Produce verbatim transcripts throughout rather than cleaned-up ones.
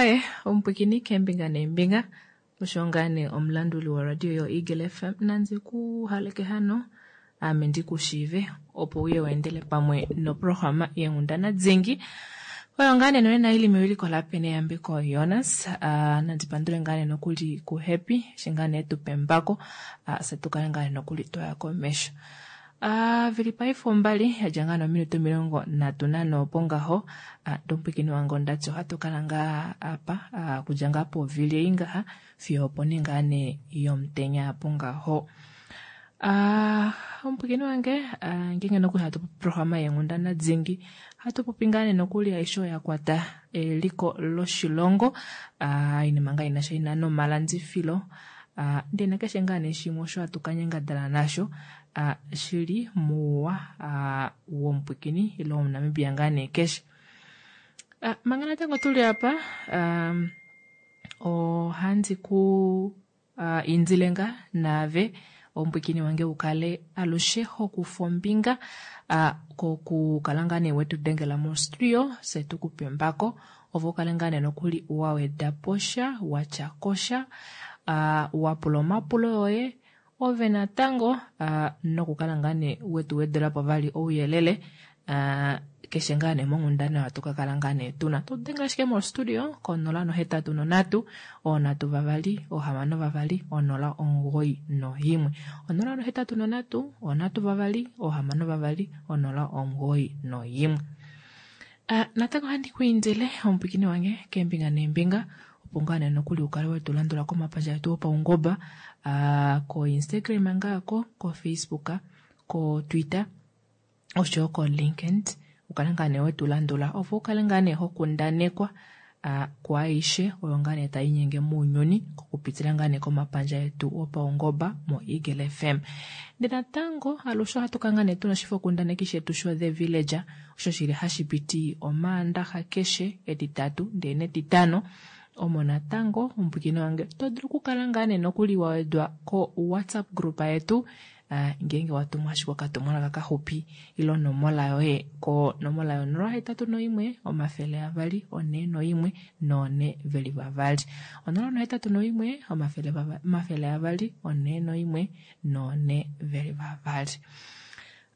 Aaye, omupwikini keembinga neembinga osho ngaa nee omulanduli woradio yoEagle F M nandi ku haleke hano ame ndi ku shiive opo uye weendele pamwe noprograma yeenghundana dhingi oyo ngaa nee nonena ili mewiliko laPene Yambeko Jonas. Uh, nandi pandule ngaa nee nokuli ku Happy eshi ngaa nee tupembako uh, se tukale ngaa nee nokuli twaya komesho. Uh, vili paife ombali yadja ngaa nominute omilongo nhatu nanho opo ngaho uh, ndomupwikini wange ondati ohatu kala ngaa apa uh, kudja ngaa povili ei ngaha fiyo opo nee ngaa nee yomutenya apo ngaho. Uh, omupwikini wange uh, ngeenge nokuli hatu popi programa yeenghundana dhingi hatu popi ngaa nee nokuli aishe oyo ya kwata eliko loshilongo uh, inima ngaa inasha ina nomalandifilo uh, ndee nakeshe ngaa nee shimwe osho hatu kanyangadala nasho uh, shili muuwa uh, womupwikini ile womuNamibia ngaa nee keshe. Uh, manga natango tuli apa um, ohandi ku uh, indile ngaa naave omupwikini wange ukale alushe hokufa ombinga uh, kokukala ngaa nee wetu dengela mostudio se tukupe embako ovo ukale ngaa nee nokuli waweda posha watya kosha uh, wapula omapulo yoye ove natango uh, nokukala ngaa nee wetu wedelapo vali ouyelele uh, keshe ngaa nee monghundana oyo tukakala ngaa nee tuna. Todenga ashike mostudio konola nohetatu nonhatu onhatu vavali ohamano vavali onola omugoyi noyimwe onola nohetatu nonhatu onhatu vavali ohamano vavali onola omugoyi noyimwe. Uh, natango ohandi ku indile omupwikini wange keembinga neembinga opo ngaa nee nokuli ukale wetu landula komapandja etu opaungoba uh, ko Instagram ngaako ko Facebook ko Twitter oshoyo ko LinkedIn ukale ngaa nee wetu landula opo ukale ngaa nee hokundanekwa uh, kwaaishe oyo ngaa nee tai nyenge mounyuni kokupitila ngaa nee komapandja etu opaungoba mo Eagle F M. Ndee natango alushe ohatu kala ngaa nee tuna oshifokundaneki shetu sho The Villager osho shili hashi piti omaandaxa keshe etitatu ndee netitano omo natango omupwikini wange to dulu okukala ngaa nee nokuli wawedwa ko WhatsApp group yetu uh, ngeenge watumwa ashike okatumwalaka kaxupi ile onomola yoye ko nomola yo nola hetatu noimwe omafele avali one noimwe none veli vavali onola nohetatu noimwe omafele vava, omafele avali one noimwe none veli vavali.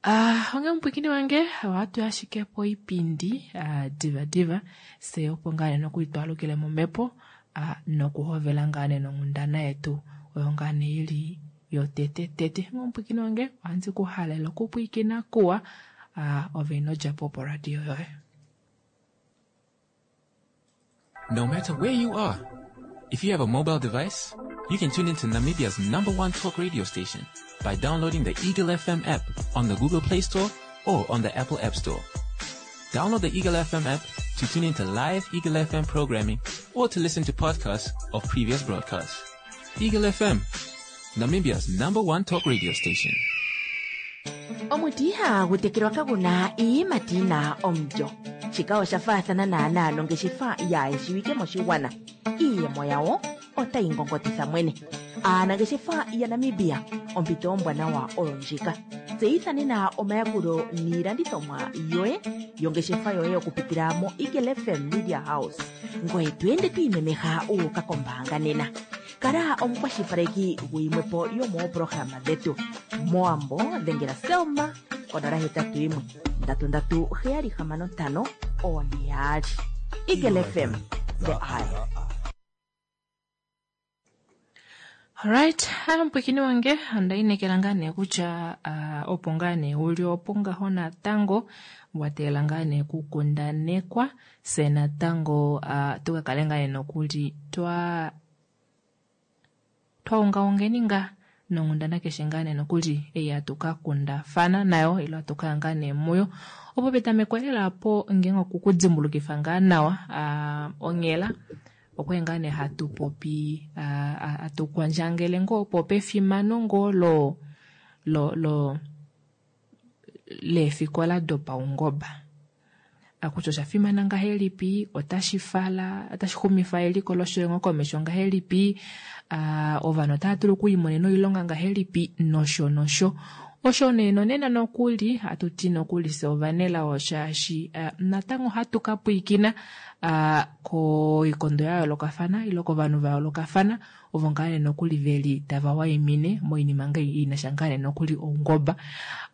Ah, uh, onge omupwikini wange ohatu ashike po ipindi uh, diva diva se opo ngaa nee nokuli twalukile momhepo uh, nokuhovela ngaa nee nonghundana yetu oyo ngaa nee ili yotete tete. Omupwikini wange ohandi ku halela okupwikina kuwa uh, ove ino dja po poradio yoye. No matter where you are, if you have a mobile device, you can tune into Namibia's number one talk radio station by downloading the Eagle F M app on the Google Play Store or on the Apple App Store. Download the Eagle F M app to tune into live Eagle F M programming or to listen to podcasts of previous broadcasts. Eagle F M, Namibia's number one talk radio station. Omuti ihagu tekelwa kaguna iiyimati yina omulyo. Shika osha faathana naanaa nongeshefa yaayeshiwike moshigwana. Iiyemo yawo otayi ngongotitha mwene. Aanangeshefa yaNamibia, ompito ombwanawa oyo ndjika. Tseyitha nena omayakulo niilandithomwa yoye yongeshefa yoye okupitila mo Eagle F M Media House. Ngoye to ende to imemeha uuka kombaanga nena. Kala omukwashilipaleki guyimwepo yomooprograma dhetu. Moambo dhengela Selma konola hetatu yimwe ndatu ndatu heyali hamano ntano one yaali. Eagle F M, the eye. Alright, omupwikini wange ondainekela ngaa nee kutya uh, opo ngaa nee uli opo ngaho natango wateela ngaa nee kukundanekwa se natango uh, tukakale ngaa nee nokuli twa twaungaungeni ngaa nonghundana keshe ngaa nee nokuli ei hatu ka kundafana nayo ile hatu kaya ngaa nee muyo opo petameko lela po ngeenge okukudimbulukifa ngaa nawa uh, onghela okwe ngaa nee hatu popi hatu uh, kwandjangele ngoo opo pefimano ngoo lo lo lo leefikola dopaungoba akutya osha fimana ngahelipi, otashi fala otashi xumifa eliko loshilongo komesho ngahelipi, uh, ovanhu otava dulu okuimonena oilonga ngahelipi nosho nosho. Osho nee nonena nokuli hatu ti nokuli fye ovanelao shaashi uh, natango ohatu ka pwiikina uh, koikondo ya yoolokafana ile kovanhu va yoolokafana ovo ngaa nee nokuli veli tava waimine moinima ngai inasha ngaa nee nokuli oungoba.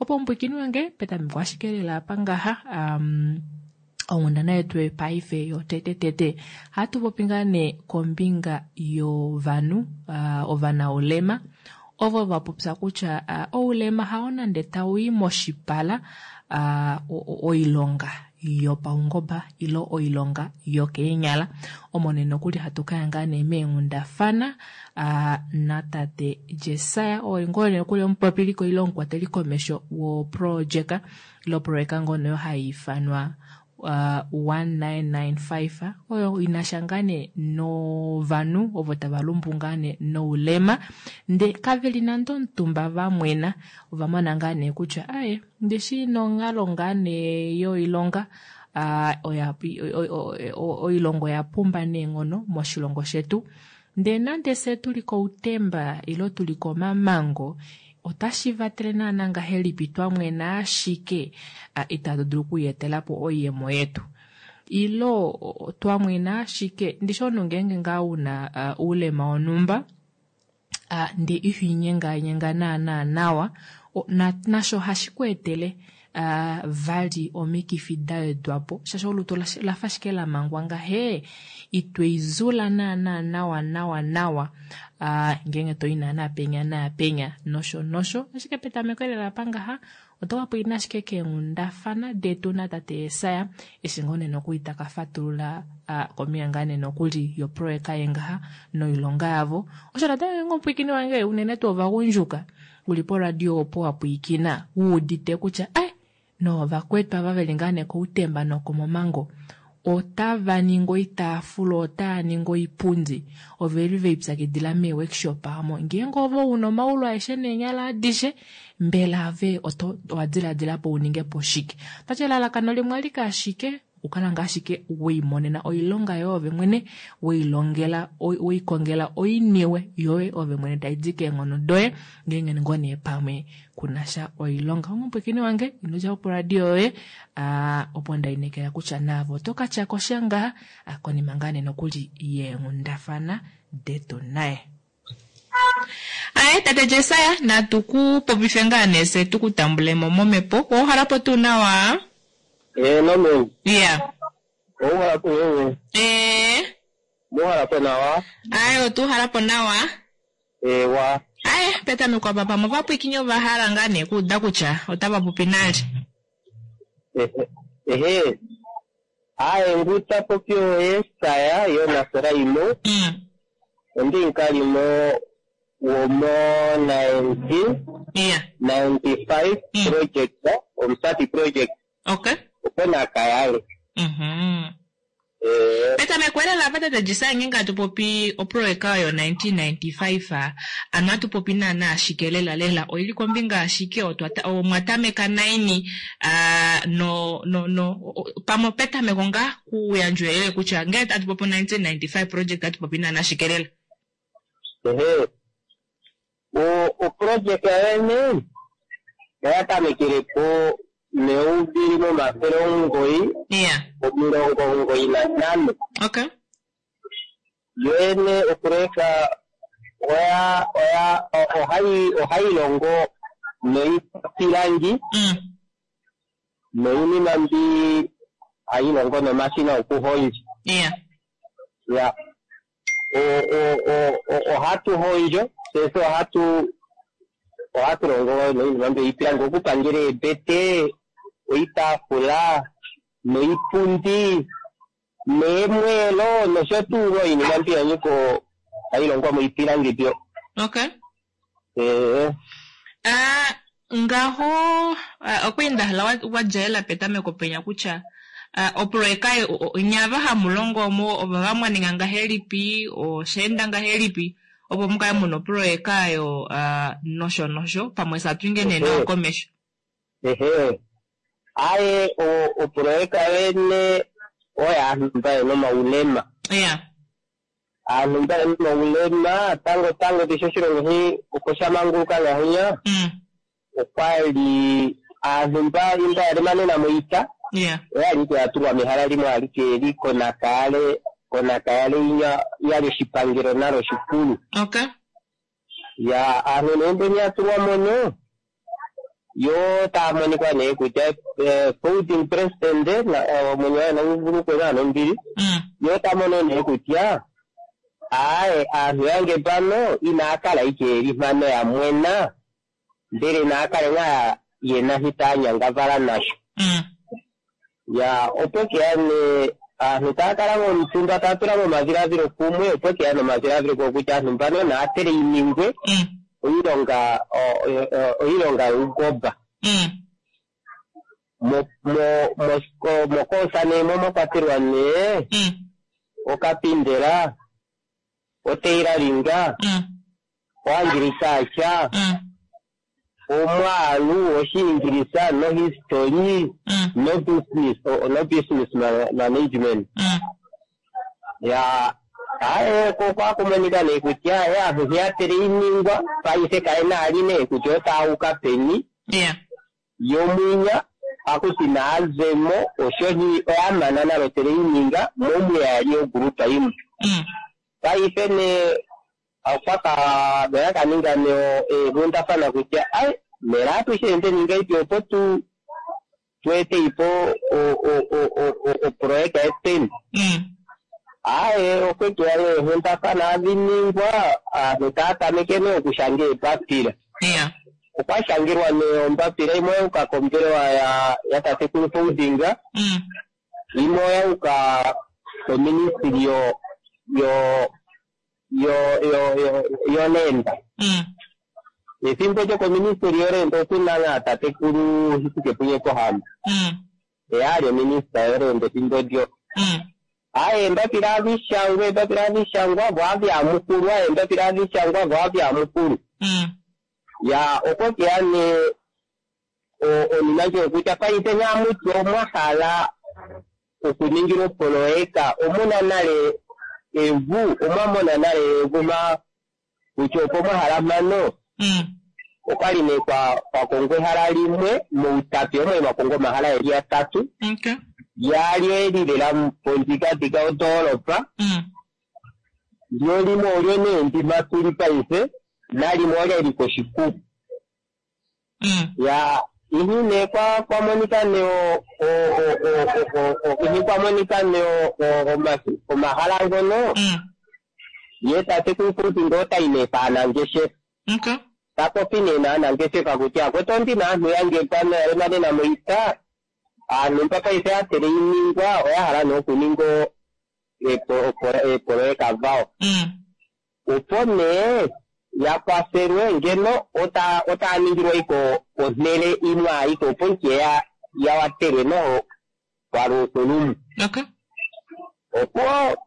Opo omupwiikini wange petameko ashike lela apa ngaha um, onghundana yetu paife yotete tete hatu popi ngaa nee kombinga yovanhu uh, ovanaulema ovo va popya kutya uh, oulema hao nande tau i moshipala uh, oilonga yopaungoba ilo oilonga yokeenyala. Omo nee nokuli hatu kaya ngaa nee meenghundafana uh, natate Jesaya oo ngoo nee nokuli omupopiliko ile omukwateli komesho woprojeka ilo projeka ngono hai ifanwa Uh, one nine nine five oyo inasha ngaa nee novanhu ovo tava lumbu ngaa nee noulema nde kaveli nande omutumba vamwena ova mona ngaa nee kutya aye ndishi nonghalo ngaa nee yoilonga uh, oya, oilongo oya pumba neenghono moshilongo shetu ndee nande se tuli koutemba ilo tuli komamango otashi vatele naana ngahelipi twamwena ashike itatu dulu okuyetela po oiyemo yetu ilo twamwena ashike ndishi omunhu ngeenge ngaa una uh, oulema wonhumba uh, ndee iho inyenganyenga naana nawa na, nasho hashi ku etele uh, vali omikifi da wedwapo shaashi olutu lafa ashike la mangwa ngahe itweizula naana nawa nawa nawa uh, ngeenge toi naana penya naapenya nosho nosho ashike petameko lela pangaha oto ka pwiina ashike keenghundafana detu natate Jesaya eshi ngoo nee nokuli taka fatulula uh, kombinga ngaa nee nokuli yoproyeka yengaha noilonga yavo. Osho natango ngeenge omupwiikini wange unene tuu ovagundjuka uli poradio opo wa pwiikina wuudite kutya ai novakwetu ava veli ngaa nee koutemba nokomomango otava ningi oitaafula otava ningi oipundi oveli veipyakidila mee-workshop amo ngeenge ovo una omaulu aeshe neenyala adishe mbela ave oto owa diladila po uninge po shike. Tati elalakano limwe alike ashike okukala ngaa ashike weimonena oilonga yoye ove mwene weilongela weikongela oiniwe yoye ove mwene taidi keenghono doye ngeenge ngoo nee pamwe kunasha oilonga. Omupwiikini wange ino dja po poradio yoye uh, opo ndainekela kutya naave oto ka tyako sha ngaa uh, konima ngaa nee nokuli yeenghundafana detu naye. Aye tate Jesaya natu ku popife ngaa nee se tu ku tambulemo momhepo ouhalapo tuu nawa? Eh, nome. Yeah. Ouhalapo wewe. Eh. Muhalapo nawa. Aye otuhalapo nawa. Ewa. Aye petameko apa pamwe ovapwiikini ovahala ngaa nee kuuda kutya otava popi nale. Ehe. Ehe. Aye nguta popi Yesaya yonaseraimo. Mm. Ondi nkalimo womo nineteen Yeah. ninety five Mm. project Omusati project Okay. opo nakayale. Mhm. Eh, Petameko lela apa tate Jesaya ngeenge atu popi oproyeka oyo nineteen ninety-five ano atu popi naana ashike lela lela oili kombinga ashike omwa tameka naini uh, no no no pamwe petameko ngaa kuyandjwa uyelele kutya ngele atu popi nineteen ninety-five project atu popi naana ashike lela. Ehe. O oprojeka yene oya tamekele po meuvili momafele omugoyi Yeah. omilongo omugoyi nantano. Okay. Yoyene oproyeka oya oya ohayi ohayi longo noipilangi Mm. noinima mbi hayi longo nomashina okuhondja. Yeah. Ya. O o o o ohatu hondjo sese ohatu ohatu longo noinima mbi ipilangi okupangela eebete oitaafula noipundi neemweelo nosho tuu oinima mbi yanyiko hayi longwa moipilangi mbyo. Okay. Eh. Uh, ngaho uh, okweenda hala wadjaela petameko penya kutya uh, oproyeka nyava hamulongo omo ova mwaninga ngahelipi oshaenda ngahelipi opo mukale muna oproyeka yo uh, nosho nosho pamwe satwinge nee nawa komesho. Ehe. Aye oproyeka yene oyo aantu mba yena omaulema. Yeah. Aantu mba yena omaulema tango tango tisho oshilongo shi opo sha manguluka ngahinya. Mm. Okwali aantu mba mba yalemanena moita Yeah. oyali ike yatulwa mehala limwe alike li konakayale konakayale inya yali oshipangelo nalo shikulu. Okay. Ya aantu nee mbeni yatulwa mono yo taya monika nee kutya eh, founding president na- eh, omwenyo waye nauvulukwe naa nombili Mm. yo ta mono nee kutya aaye aantu yange pano inaya kala ike yeli mpano ya mwena ndele naya kale ngaa yena shi taya nyangavala nasho. Mm. Ya opo keya ne aantu taya kala momutumba taya tula momadhiladhilo kumwe opo keya nomadhiladhilo kokutya aantu mbano naya treiningwe Mm. oilonga o- o- o- oilonga yuugomba. Mm. Mo- mo- mo- mokoosa nee mo mwa kwatelwa nee Mm. okapindela, otailoringa, Mm. oagriculture, Mm. omwaalu, oshiingilisa, nohistory, Mm. no business, o- no business ma- management. Mm. Ya aye ko kwakumonika nee kutya aye aantu ya treiningwa paife kaye ali nee kutya otaya uka peni Yeah. yomwinya akuti naazemo oshohi oya mana nalo traininga momuyali ogrupa yimwe. Mm. Paife ne okwaka oya kaninga ne eenghundafana kutya ai mela atushe ninga ipi opo tu tuete ipo oproyeka yeteni. Mm. Aye okwekeya eenghundafana adhiningwa aantu taya tameke nee okushanga eembapila. Yeah. Okwa shangilwa nee ombapila imwe oyauka kombelewa ya ya tatekulu Foundinga Mm. imwe oyauka koministry yo yo yo yo yo yolenda. Mm. Ethimbo lyokoministry yolenda okuna ngaa tatekulu Hifikepunye Pohamba. Mm. Eya ali ominista yolenda ethimbo lyo. Mm. Aye embapila adhishangwa embapila adhishangwa vo adhyamukulwa embapila adhishangwa vo adhyamukulu. Mm. Ya okwekeya ne o- onima ndjo kutya paife nyamuti omwa hala okuningila opoloyeka omuna nale evu omwamona nale evu ma kutya opo mwahala mpano Mm. okwali nee kwa kwakongwa ehala limwe muutapi omwe mwakongwa omahala geli atatu Okay. yaali eli lela pondjikadhika yondoolopa Mm. lyo limwe olyo nee ndima tuli paife nalimwe olya li koshikuku. Mm. Ya ihi nee kwa kwamonika nee o- o- o- o- o- o- ihi kwamonika nee o- o- oma- omahala ngono Mm. ye tatekulu futi ngoo tayi nee paanangeshefa Okay. tapopi nee naanangeshefa kutya akwetu ondina aantu yange mpano yalemanena moita aantu mba paife ya treiningwa oya hala nee okuninga o- epo- opo- eepoloyeka dhawo. Mm. Opo nee ya kwathelwe ngeno ota otaya ningilwa iko onhele imwe ayike opo ike ya ya watelwe noho kwaluukulumwe. Okay. Opo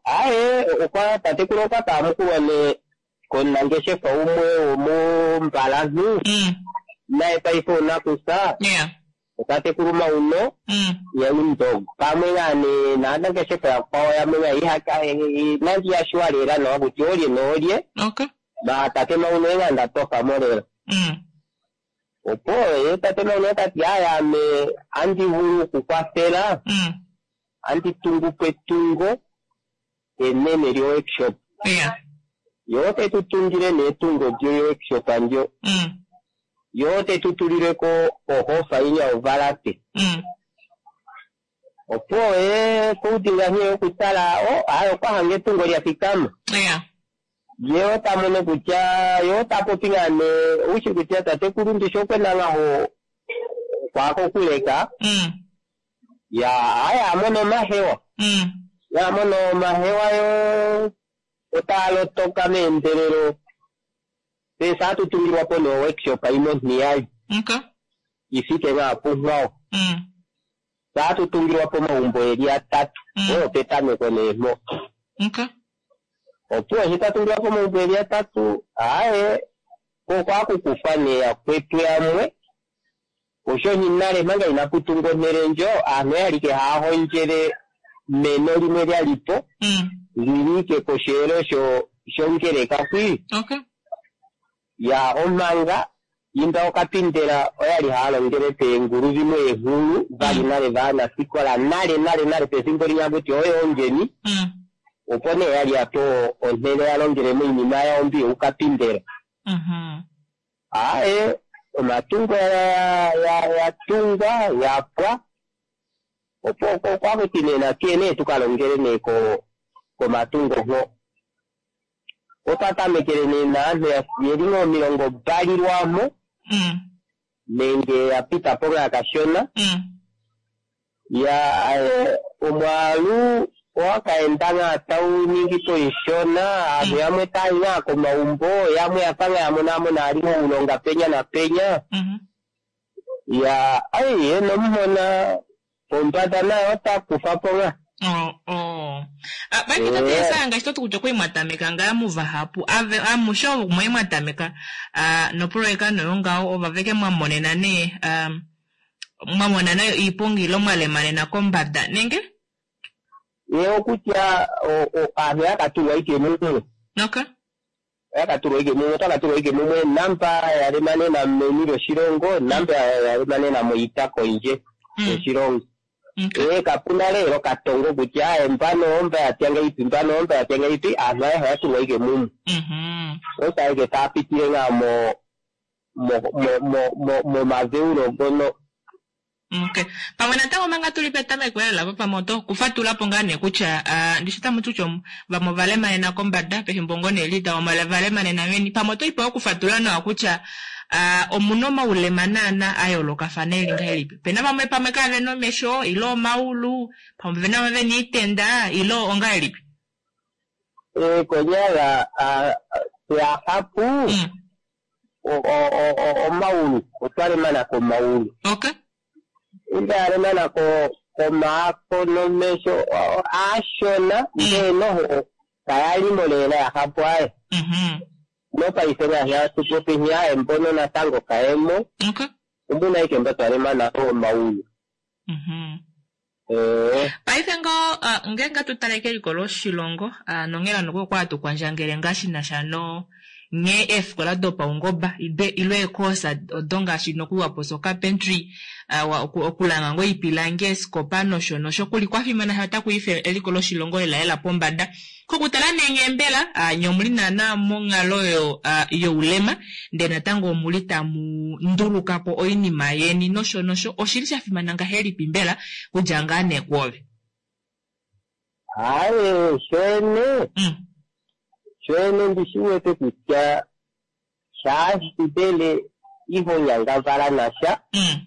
aye okwa tatekulu okwa kamukulwa nee komunangeshefa umwe womombalantu Mm. naye paife onakusa Yeah. tatekulu Mauno Mm. yaindogo pamwe ngaa nee naanangeshefa yakwawo yamwe nga ihaka nandi yashuwa lela nawa kutya olye noolye Okay. ba tate Mauno enga ndatofa mo lela. Mm. Opo ye tate Mauno tati aye ame andi vulu okukwathela Mm. andi tungu po etungo enene lyo workshop. Yeah. Yo te tutungile nee etungo lyo workshop ndyo. Mm. Yo te tutulileko ohofa inya ovalate. Mm. Opo ye kuudinga nghee okutala o aye okwahanga etungo lya thikama. Yeah. Ye ota mono kutya ye ota popi ngaa nee oushi kutya tatekulu ndishi okwena ngaho kwako kuleka Mm. ya aye amono omahewa. Mm. Ya mono omahewa yo otaya lotoka meendelelo. Pesa atutungilwa po no workshop imwe ontiyali Okay. ifike ngaa punghwawo. Mm. Saatutungilwa po omagumbo geli atatu Mm. oyo petameko nee mpo. Okay. Opo eshi twatungilwa po omagumbo geli atatu aye okwakukufa nee yakwetu yamwe osho nale manga inapu tungwa onhele ndjo aantu oyali ike haya hondjele meno limwe lyali po Mm. lili ike kosheelo sho shongeleka kwi Okay. ya omanga Imba okapindela oyali haya longele peengulu dhimwe eenghulu vali nale vaanafikola nale nale nale pefimbo linya kuti oyo ongeni Mm. opo nee yali yapewa onhele ya longele moinima yawo mbi youkapindela. Mhm. Aaye omatungo ya ya yatungwa yapwa opo okwakuti nee natuye nee tukalongele nee ko komatungo ngo. Otwa tamekele nee naantu yeli ngoo omilongo mbali lwamo Mm. nenge ya pita po ngaa kashona Mm. ya aye omwaalu owakaenda ngaa tau ningi po ishona aantu yamwe taayi ngaa komaumbo yamwe yafa ngaa yamonamona ali oulonga penya na penya Mhm. ya aye nomuhona pombada naye ota kufa po ngaa. Oh, oh. Ah, paife tate Yesaya ngaashi toti kutya okwali mwatameka ngaa muvahapu ave amushe ovo mwali mwatameka ah, nopoloyeka noyo ngaho ovaveke mwamonena nee um, mwamona nayo iiponga ilo mwalemanena kombada nenge Ye okutya aantu yakatulwa ike mumwe okay yakatulwa ike mumwe otwakatulwa ike mumwe namba yalemanena meni lyoshilongo namba yalemanena moita kondje mm. yoshilongo. Okay. Ee kapuna lelo katongo kutya aye mbano omba yatya ngaipi mbano omba yatya ngaipi aantu ayehe oyatulwa ike mumwe Mhm. otaike taapitile ngaa mo mo mo mo mo momadheulo ngono. Okay. Pamwe natango manga tuli petameko lela po pamwe oto kufatula po ngaa nee kutya ah, ndishi tamu ti kutya vamwe ovalemanena kombada pefimbo ngoo nee lita vamwe ovalemanena meni pamwe oto ipa okufatula nawa kutya ah, omuna omaulema naana a yoolokafana eli ngahelipi pena vamwe pamwe kavena omesho ilo omaulu pamwe pena vamwe vena iitenda ilo ongahelipi Ee konyala yahapu mm. omaulu otwalemana komaulu okay inda yalemana ko komaako nomesho aashona ndee noho kayalimo lela yahapu aye Mhm. nopaife ngaashi atupopi aye mbono natango kayemo okay ombuna ike mba twalemana omaulu. Mhm. Ee Paife ngoo uh, ngeenge tutale keliko loshilongo uh, nonghela noku okwa tukwandjangele ngaa shinasha no nghee eefikola dopaungoba ilo eekoosa odo ngaashi nokuwapo carpentry uh, okulanga ngoo iipilangi eesikopa nosho nosho kuli kwafimana shaashi otaku ife eliko loshilongo lela lela pombada. Kokutala nee nghee mbela uh, nye omuli naana monghalo yo, uh, youlema ndee natango omuli tamu ndulukapo oinima yeni nosho nosho oshili shafimana ngahelipi mbela kudja ngaa nee kwoove? Aye shene Mm. shene ndishiwete kutya shaashi mbele iho nyangavala nasha Mm.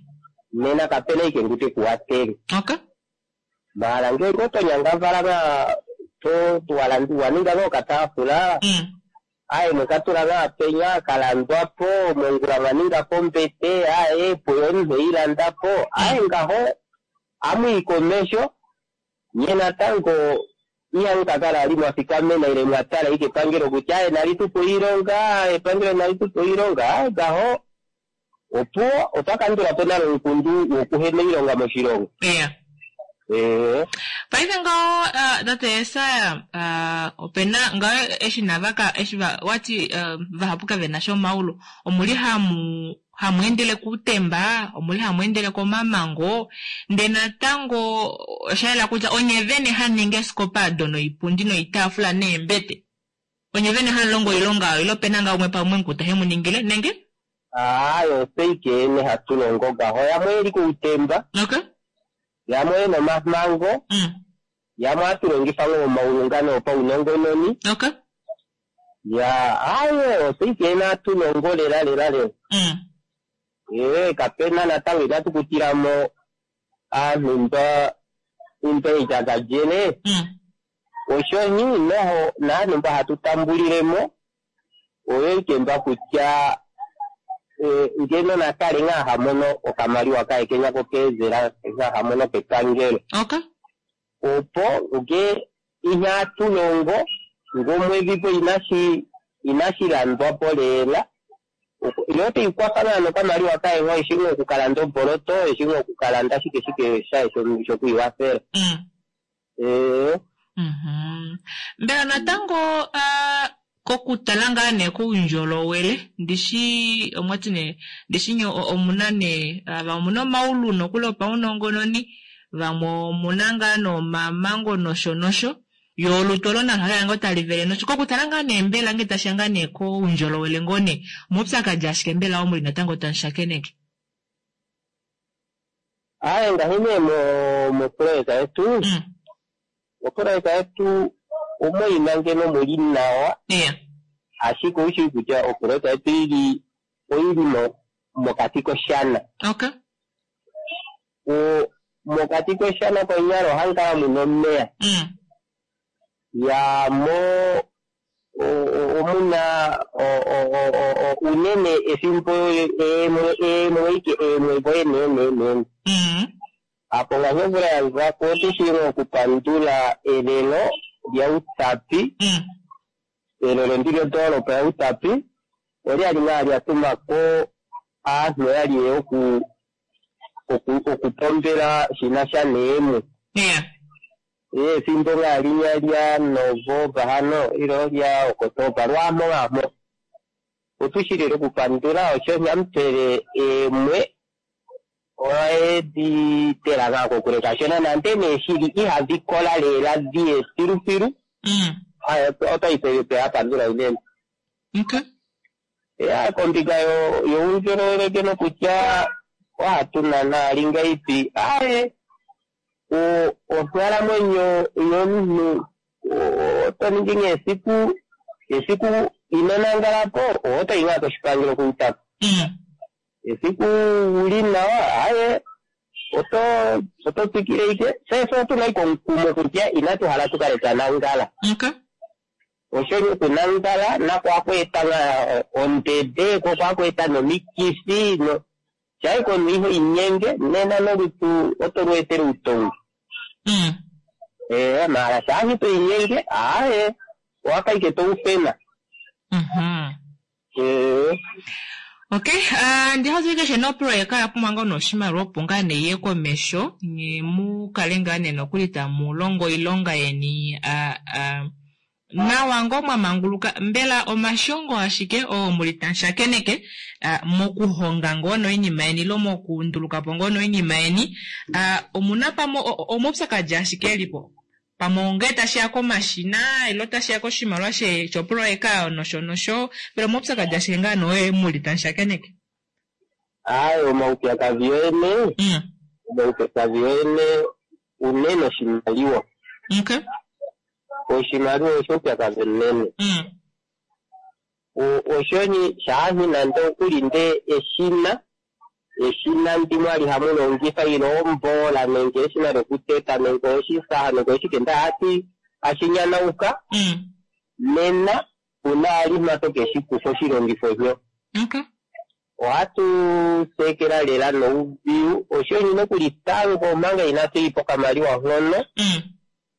nena kapena ike ngute kuwatele Okay. mala ngenge otonyangavala nga to waninga nga okataafula Mm. aye mwekatula nga penya kalandwapo mongula mwaningapo ombete aye puyo omunhu eilandapo aye ngaho amwii komesho nye natango ihamu kakala ali mwafikamena ile mwatala ike epangelo kutya aye nalitupa oilonga epangelo nalitupa oilonga aye ngaho opo otwakandulapo nalo omukundu wokuhena oilonga moshilongo. Yeah. Ee Paife ngaho uh, tate Yesaya uh, opena ngaho eshi navaka eshi va, wati uh, vahapu kavena sha omaulu omuli hamu hamu endele kuutemba omuli hamu endele komamango ndee natango oshayela kutya onye vene haningi eesikopa ado noipundi noitaafula neembete onye vene hamulongo oilonga oyo ilo opena ngaa umwe pamwe mukuta hemuningile nenge? Aye otse ike ene hatu longo ngaho yamwe eli kuutemba Okay. yamwe ena omamango Mm. yamwe hatu longifa ngoo omaulu ngano opaunongononi Okay. ya aye otse ike ene hatu longo lela lela lela. Mm. Ee kapena natango inatu kutilamo aantu mba mba ijakadjele Mm. oshoni noho naanhu mba hatu tambulilemo oyo ike mba kutya e, ngeno nakale ngaa hamono okamaliwa kaye kenya kokeezela ngaa hamono kepangelo Okay. opo nge ihatu longo ngomwedhi po inashi inashilandwapo lela ilo oteikwafa naa nokamaliwa kaye ngoo eshi ngoo okukalanda omboloto eshi ngoo okukalanda shike shike shaye shokwiiwafela. Mm. Ee Mhm. Mbela natango uh, Kokutala ngaa nee koundjolowele ndishi omwati nee ndishi nye omuna nee ava omuna omaulu nokuli opaunongononi vamwe omuna ngaa nomamango nosho nosho yo olutu olo nalo hali ngoo tali vele nosho kokutala ngaa nee mbela ngee tashiya ngaa nee koundjolowele ngoo nee omaupyakadi ashike mbela omuli natango tamushakeneke. Aye ngahi nee mo mopoloyeka yetu Mm. mopoloyeka yetu omoina ngeno muli nawa Yeah. ashike oushi kutya opoloyeka yetu ili oili mo mokati koshana. Okay. O mokati koshana konyala ohamu kala muna omeya. Mm. Ya mo o- o- omuna o- o- o- o- o- unene efimbo emwe emwe ike emwe voyenenenene. Mm. Apo ngaashi omvula ya zako otushilo okupandula elelo lyaUtapi Mm. elelo ndi lyondoolopa yaUtapi olyali ngaa lyatumako aantu yali ye oku oku okupombela shinasha neemwe. Yeah. Efimbo ngaa linya lya Novemba hano ilo lya Okotoba lwamo lwamo. Otushilile okupandula osho nyamutele emwe oedi tela ngaa kokule kashona nande nee shili ihadhi kola lela dhiye filufilu. Mm. Aya, otayi yapandula unene. Okay. Ya kombinga yo youndjolowele ngeno kutya ohatu nana lingaipi aye o onghalamwenyo yomunhu oto ningi nee esiku esiku ino nangalapo otoyi ngaa koshipangelo kuUtapi. Mm. Esiku uli nawa aye oto oto tsikile ike sese otuna ike omukumo kutya inatu hala tukale twa nangala. Okay. Osho okunangala nako ohaku eta ngaa ondede ko ohaku eta nomikithi no shaike omunhu iho inyenge nena nolutu oto lu etele uutongi. Mm. Eh, mara shaashi to inyenge aye owafa ike toufena. Mhm. Eh, Okay, uh, ndi keshe nopoloyeka ya pumbwa ngoo noshimaliwa opo ngaa nee iye komesho nye mu kale ngaa nee nokuli tamu longo oilonga yeni uh, uh, nawa ngoo mwa manguluka mbela omashongo ashike oo muli tamushakeneke uh, mokuhonga ngoo noinima yeni ilo mokundulukapo ngoo noinima yeni uh, omuna pamwe omaupyakadi ashike elipo pamwe ongee tashiya komashina ilo tashiya koshimaliwa shopoloyeka nosho nosho mbela omaupyakadi ashike ngaa nee muli tamushakeneke. Aye omaupyakadhi yoyene Mm. omaupyakadhi yoyene unene oshimaliwa. Okay. Oshimaliwa osho upyakadhi unene. Mm. Oshoni shaashi nande okuli nde eshina eshina ndi mwali hamu longifa ilo ombola nenge eshina lokuteta nenge oshisaha nenge oshike nda hati ashinyanauka Mm. nena una alima tokeshi kufa oshilongifo sho. Okay. Ohatu sekela lela noudhigu oshoni nokuli tango omanga inatu ipa okamaliwa hono Mm.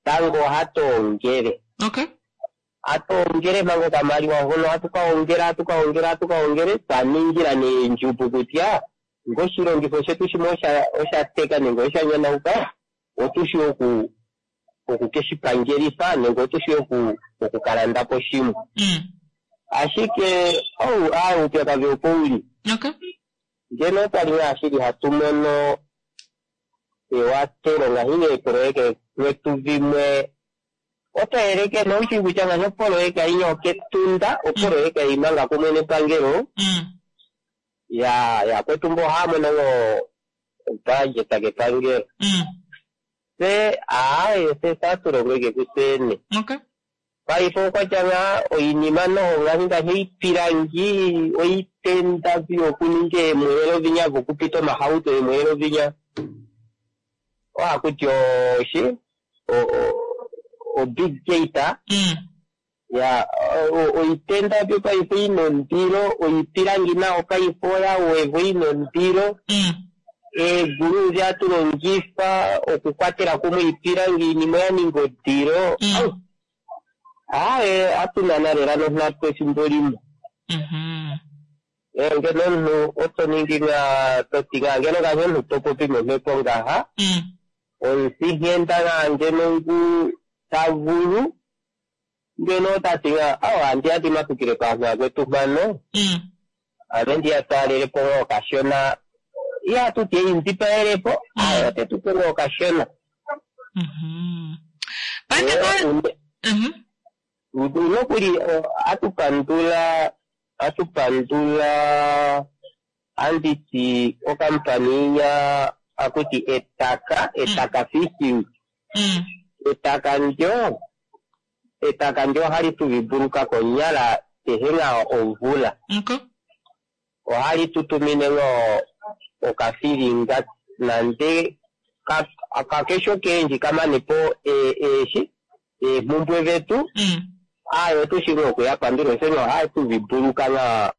tango ohatu ongele. Okay. Hatu ongele manga okamaliwa hono hatu ka ongela hatu ka ongela hatu ka ongele twa ningila neendjupu kutya ngoshilongifo shetu shimwe osha osha teka nenge osha nyanauka otushi oku okukeshipangelifa nenge otushi oku okukalandapo shimwe. Mm. Ashike ou aye uupyakadhi opo uli. Okay. Ngeno otwali ngaa shili hatu mono ewatelo ngaashi neepoloyeka dhetu dhimwe oto yeleke noushi kutya ngaashi opoloyeka inya oketunda opoloyeka imanga kumwe nepangelo Mm. ya yakwetu mbo ohaya mono ngoo obudget kepangelo. Mm. Se aaye se satulongo ike kusene. Okay. Paife okwatya ngaa oinima noho ngaashi ngaashi oipilangi oitenda vyokuninga eemweelo vinya vokupita omahauto eemweelo vinya ohakuti oshi o big gate Mm. ya oitenda vyo paife ina ondilo oipilangi nayo paife oyawevwa ina ondilo Mm. eegulu dhi tulongifa okukwatela kumwe iipilangi iinima oya ninga odilo. Mm. Aye atunana lela nonghatu efimbo limwe. Mhm. Eh, ngeno omunhu oto ningi ngaa toti ngaa ngeno ngaashi omunhu topopi momhepo ngaha Mm. omufinghenda ngaa ngeno ngu tavulu Ngeno otati nga awa andi ya ndimatukile paanhu akwetu mpano Mm. ame ndiya twalelepo ngoo okashona ihatuti einzipaelepo aye otetupe ngoo okashona. Mhm. Pande ko Mhm. Nokuli atupandula atupandula anditi okampani ya akuti Etaka Etaka Fishing. Mm. Etaka ndyo etaka ndyo ohali tuvibuluka konyala kehe nga omvula. Okay. Ohali tutumine ngoo okafilinga nande ka- kakesho kendji kamanepo eeshi eemhumbwe dhetu. Mm. Aye otushi ngoo okuyapandula oshoka ohaye tuvibuluka nga.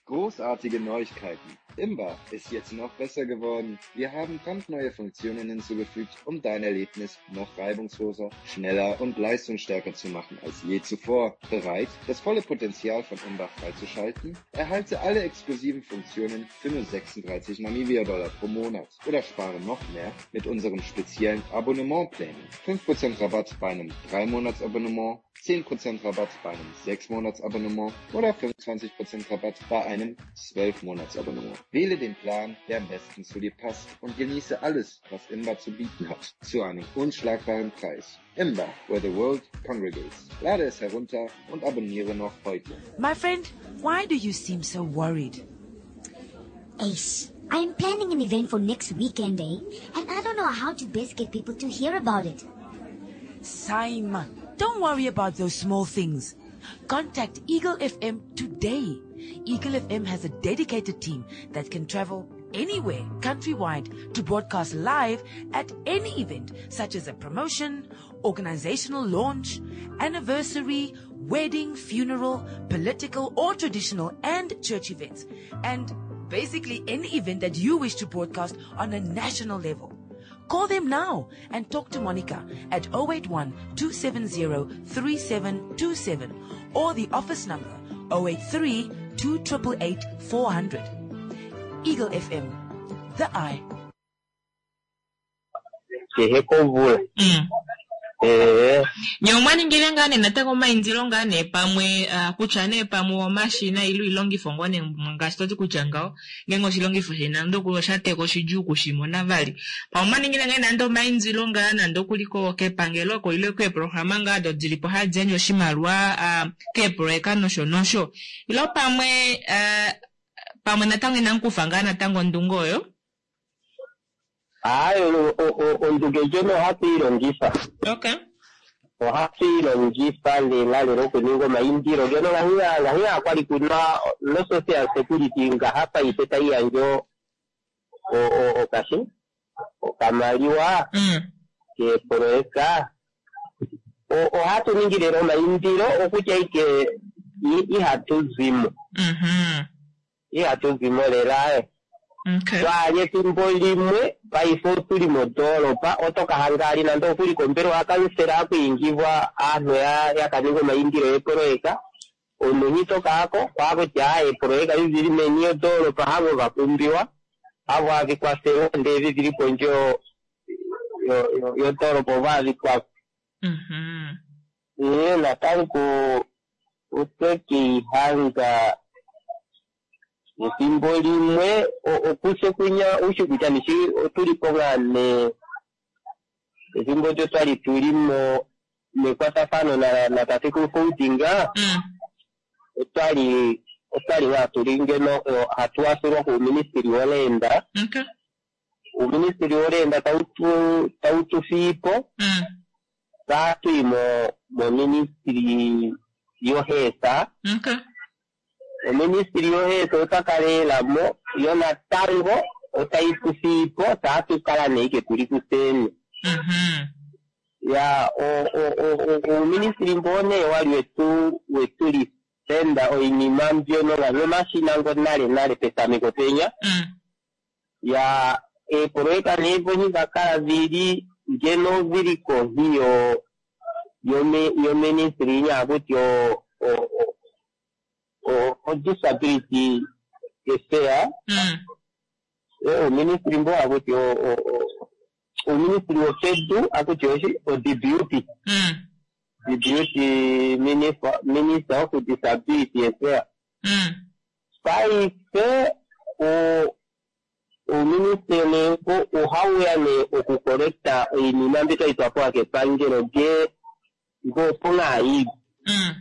Großartige Neuigkeiten. Imba ist jetzt noch besser geworden. Wir haben brandneue Funktionen hinzugefügt, um dein Erlebnis noch reibungsloser, schneller und leistungsstärker zu machen als je zuvor. Bereit, das volle Potenzial von Imba freizuschalten? Erhalte alle exklusiven Funktionen für nur sechsunddreißig Namibia-Dollar pro Monat oder spare noch mehr mit unserem speziellen Abonnementplänen. fünf Prozent Rabatt bei einem drei Monats-Abonnement, zehn Prozent Rabatt bei einem sechs Monats-Abonnement oder fünfundzwanzig Prozent Rabatt bei einem zwölf Monats-Abonnement. Wähle den Plan, der am besten zu dir passt und genieße alles, was Imba zu bieten hat, zu einem unschlagbaren Preis. Imba, where the world congregates. Lade es herunter und abonniere noch heute. My friend, why do you seem so worried? Ace, I'm planning an event for next weekend, eh? And I don't know how to best get people to hear about it. Simon, don't worry about those small things. Contact Eagle F M today. Eagle F M has a dedicated team that can travel anywhere countrywide to broadcast live at any event, such as a promotion, organizational launch, anniversary, wedding, funeral, political or traditional and church events, and basically any event that you wish to broadcast on a national level. Call them now and talk to Monica at oh eight one, two seven zero, three seven two seven or the office number oh eight three, two triple eight, four hundred. Eagle F M, the eye. Kehe komvula. Mm. Eh. Nye omwa ningile ngaa nee natango omaindilo ngaa nee pamwe, ah, kutya nee pamwe omashina ile iilongifo ngoo nee ngaashi toti kutya ngaho, ngenge oshilongifo sheni nande okuli osha teka oshidjuu okushimona vali. Pamwe omwa ningile ngaa nande omaindilo ngaa nande okuli ko-, kepangelo ko ile keeprograma ngaa do dili po hadi yandje oshimaliwa, ah, keeproyeka nosho nosho. Ilo pamwe, ah, pamwe natango inamu kufa ngaa natango ondunge oyo? Ayi, o-, o-, o-, ondunge ndjono ohatu i longifa. Okay. Ohatu i longifa lela lela okuninga omaindilo. Ngeno ngahi, ngahi kwali kuna no social security ngaha paife tai yandje o-, o-, okashi, okamaliwa Mm. keeproyeka. O-, ohatu ningi lela omaindilo okutya ike i-, ihatu zimo. Mhm. Ihatu zimo lela, eh. Okay. Twali ethimbo limwe paife otuli mondoolopa, otoka hangali nande okuli kombelewa kansela akwiingibwa aantu ya, ya kaninga omaindilo yeproyeka. Omunhu tokaako kwakutya eproyeka dhili meni yondoolopa havo vapumbiwa, havo havikwathele ndee dhili pondje yo-, yo-, yo-, yondoolopa ovo havikwafa. Mhm. Ee, natango otwekihanga ethimbo limwe, o-, okuse kunya ushi kutya nishi otuli po ngaa ne ethimbo lyo twali tuli mo mekwatathano na, na tatekulu Foudinga, Mm. otwali, otwali ngaa tuli ngeno, o, hatu wathilwa kuuministili woleenda. Okay. Uuministili woleenda tautu, tautu fiipo. Mm. Tatu mo, mo ministry yohesa. Okay. Oministili yohesa otakalela mo, yo natango otaitufiipo, tatu kala neike tuli kuseni. Mhm. Ya, o, o, o, o, uuministili mbone wali wetu, wetu lisenda oinima mbyono nga nomashina ngo nale nale petameko penya. Mm. Ya, eepoloyeka neevonyi dhakala dhili ngeno dhili kohi yo, yo me-, yo ministry nyakuti o, o, o, o, o disability affair. Mm. Eh, o ministry mbo akuti o, o, o, Uuministili wopedu akuti oshi o-D B U T. Mm. D B U T minister, minister of disability affairs. Mm. Paife o- uuministeli ohauya nee okukolekta oinima mbi twaitwa pewa kepangelo lye ngoopo ngaayi Mm.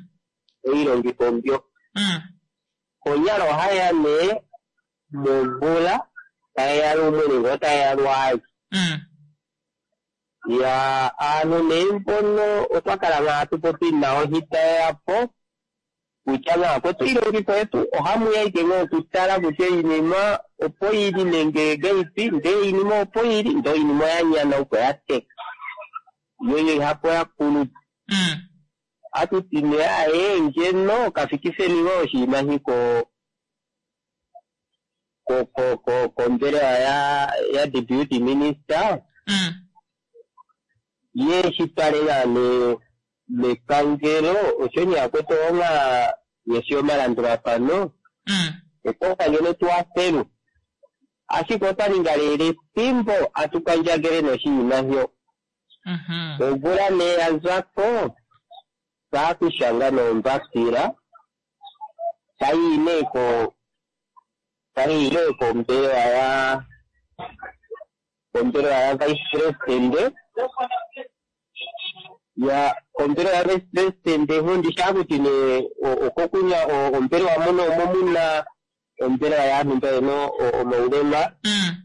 oilongifo mbyo. Mm. Konyala ohaya nee momvula tayeya lumwe nenge otayeya lwaali. Mm. Ya aantu nee mbono otwa kala ngaa tupopi nawo hitayeya po kutya ngaa kwetu iilongitho yetu ohamu ya ike ngoo okutala kutya iinima opo yili nenge gaipi ndee iinima opo yili ndee iinima oya nyana opo ya teka yo yo ihapo ya kulupa. Mm. Atuti nee aye ngeno kafikiseni ngoo oshinima shi ko ko ko ko kombelewa ya ya deputy minister Mm. ye shi twale ngaa ne mepangelo osho nee akwetu onga yeshi omalandulafano Mm. ekoka ngeno tuwafelwe ashike otwa ninga lela efimbo atukandjangele noshinima hyo. Mhm. Omvula nee ya zako taakushanga nombapila tayi nee ko tayi nee kombelewa ya kombelewa ya vice president ya kombelewa ya vice president hundi shakuti ne o- okokunya o- ombelewa muno omo muna ombelewa yaantu mba yena o- omaulema. Mm.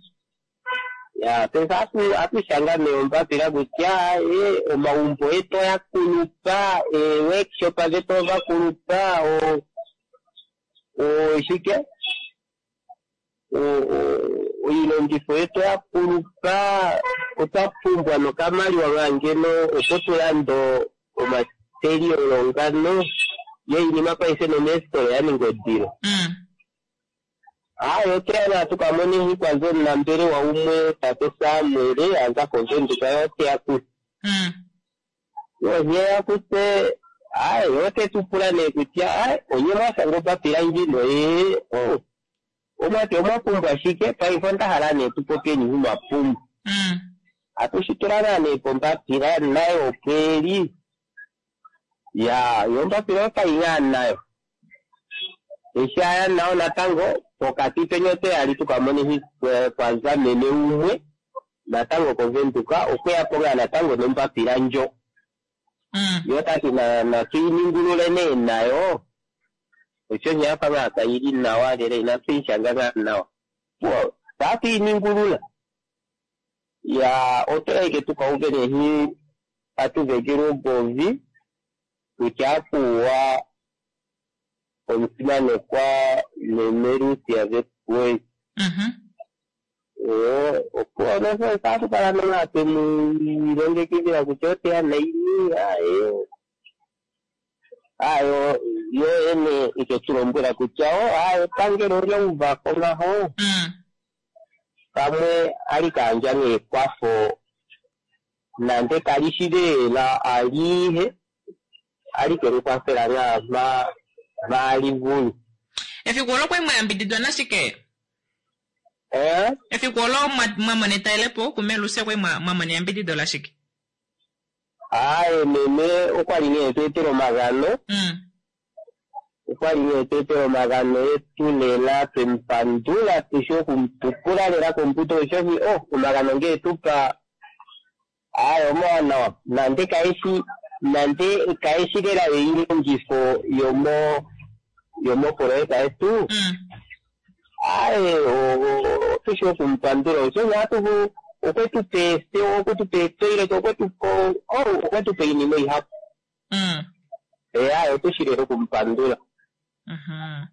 Ya pesa atu atushanga ne ombapila kutya e omaumbo etu oya kulupa, e workshop dhetu ova kulupa, o o shike o- o- oilongifo yetu oya kulupa, otwa pumbwa nokamaliwa nga ngeno opo tulande omaterial ngano yo iinima paife nomeesitola ya ninga odilo. Mm. Hayi oteya tukamone hikwanza omunambelewa umwe tate Samuel aza kovenduka yo oteya kuse. Mm. Yo kuse ayi ote tupula nee kutya ayi onye mwashanga ombapila ndjino ee o omwati omwa pumbwa shike paife onda hala nee tupopyeni mwapumbwa. Mm. Atushitula naa nee pombapila nayo opweli ya yo ombapila otayi ngaa nayo eshi aya nayo natango pokati penya oteya li tukamone kwanza meme umwe natango kovenduka okweya po ngaa natango nombapila ndjo. Mm. Yo tati na natuiningulule nee nayo osho nyafa ngaa kayili nawa lela inatuishanga ngaa nawa po tatuiningulula ya otoyeke tukauve nehi atuvekele ogovi kutya apuwa omusimanekwa meme Lucia Verwoerd. Mhm. Opo nosho atukala nonga twemu ilongekidhila kutya oteya naini aye ayo yo ene iketulombwela kutya o aye epangelo olya uvako ngaho. Mm. Pamwe ali kandja neekwafo nande kali shi lela alihe ali kelikwafela ngaa ma maalivulu. Efiku olo kwali mwayambididwa nashike? Eh? Efiku olo mwa- mwamona etalelepo kumelusia kwali mwa- mwamona eyambidido lashike? Aye meme okwali nee tweetela omagano. Mm. Okwali nee tweetela omagano etu lela twemupandula tushi okumupupula lela kombuto oshoshi o omagano ngee tupa aye omawanawa nande kaeshi nande kaeshi lela eilongifo yomo yomopoloyeka yetu. Mm. Aye tushi okumupandula oshoshi atuvu okwetupa eethewa okwetupa eetoilet okwetupa o okwetupa iinima ihapu. Mm. E aye otushi lela okumupandula. Mhm.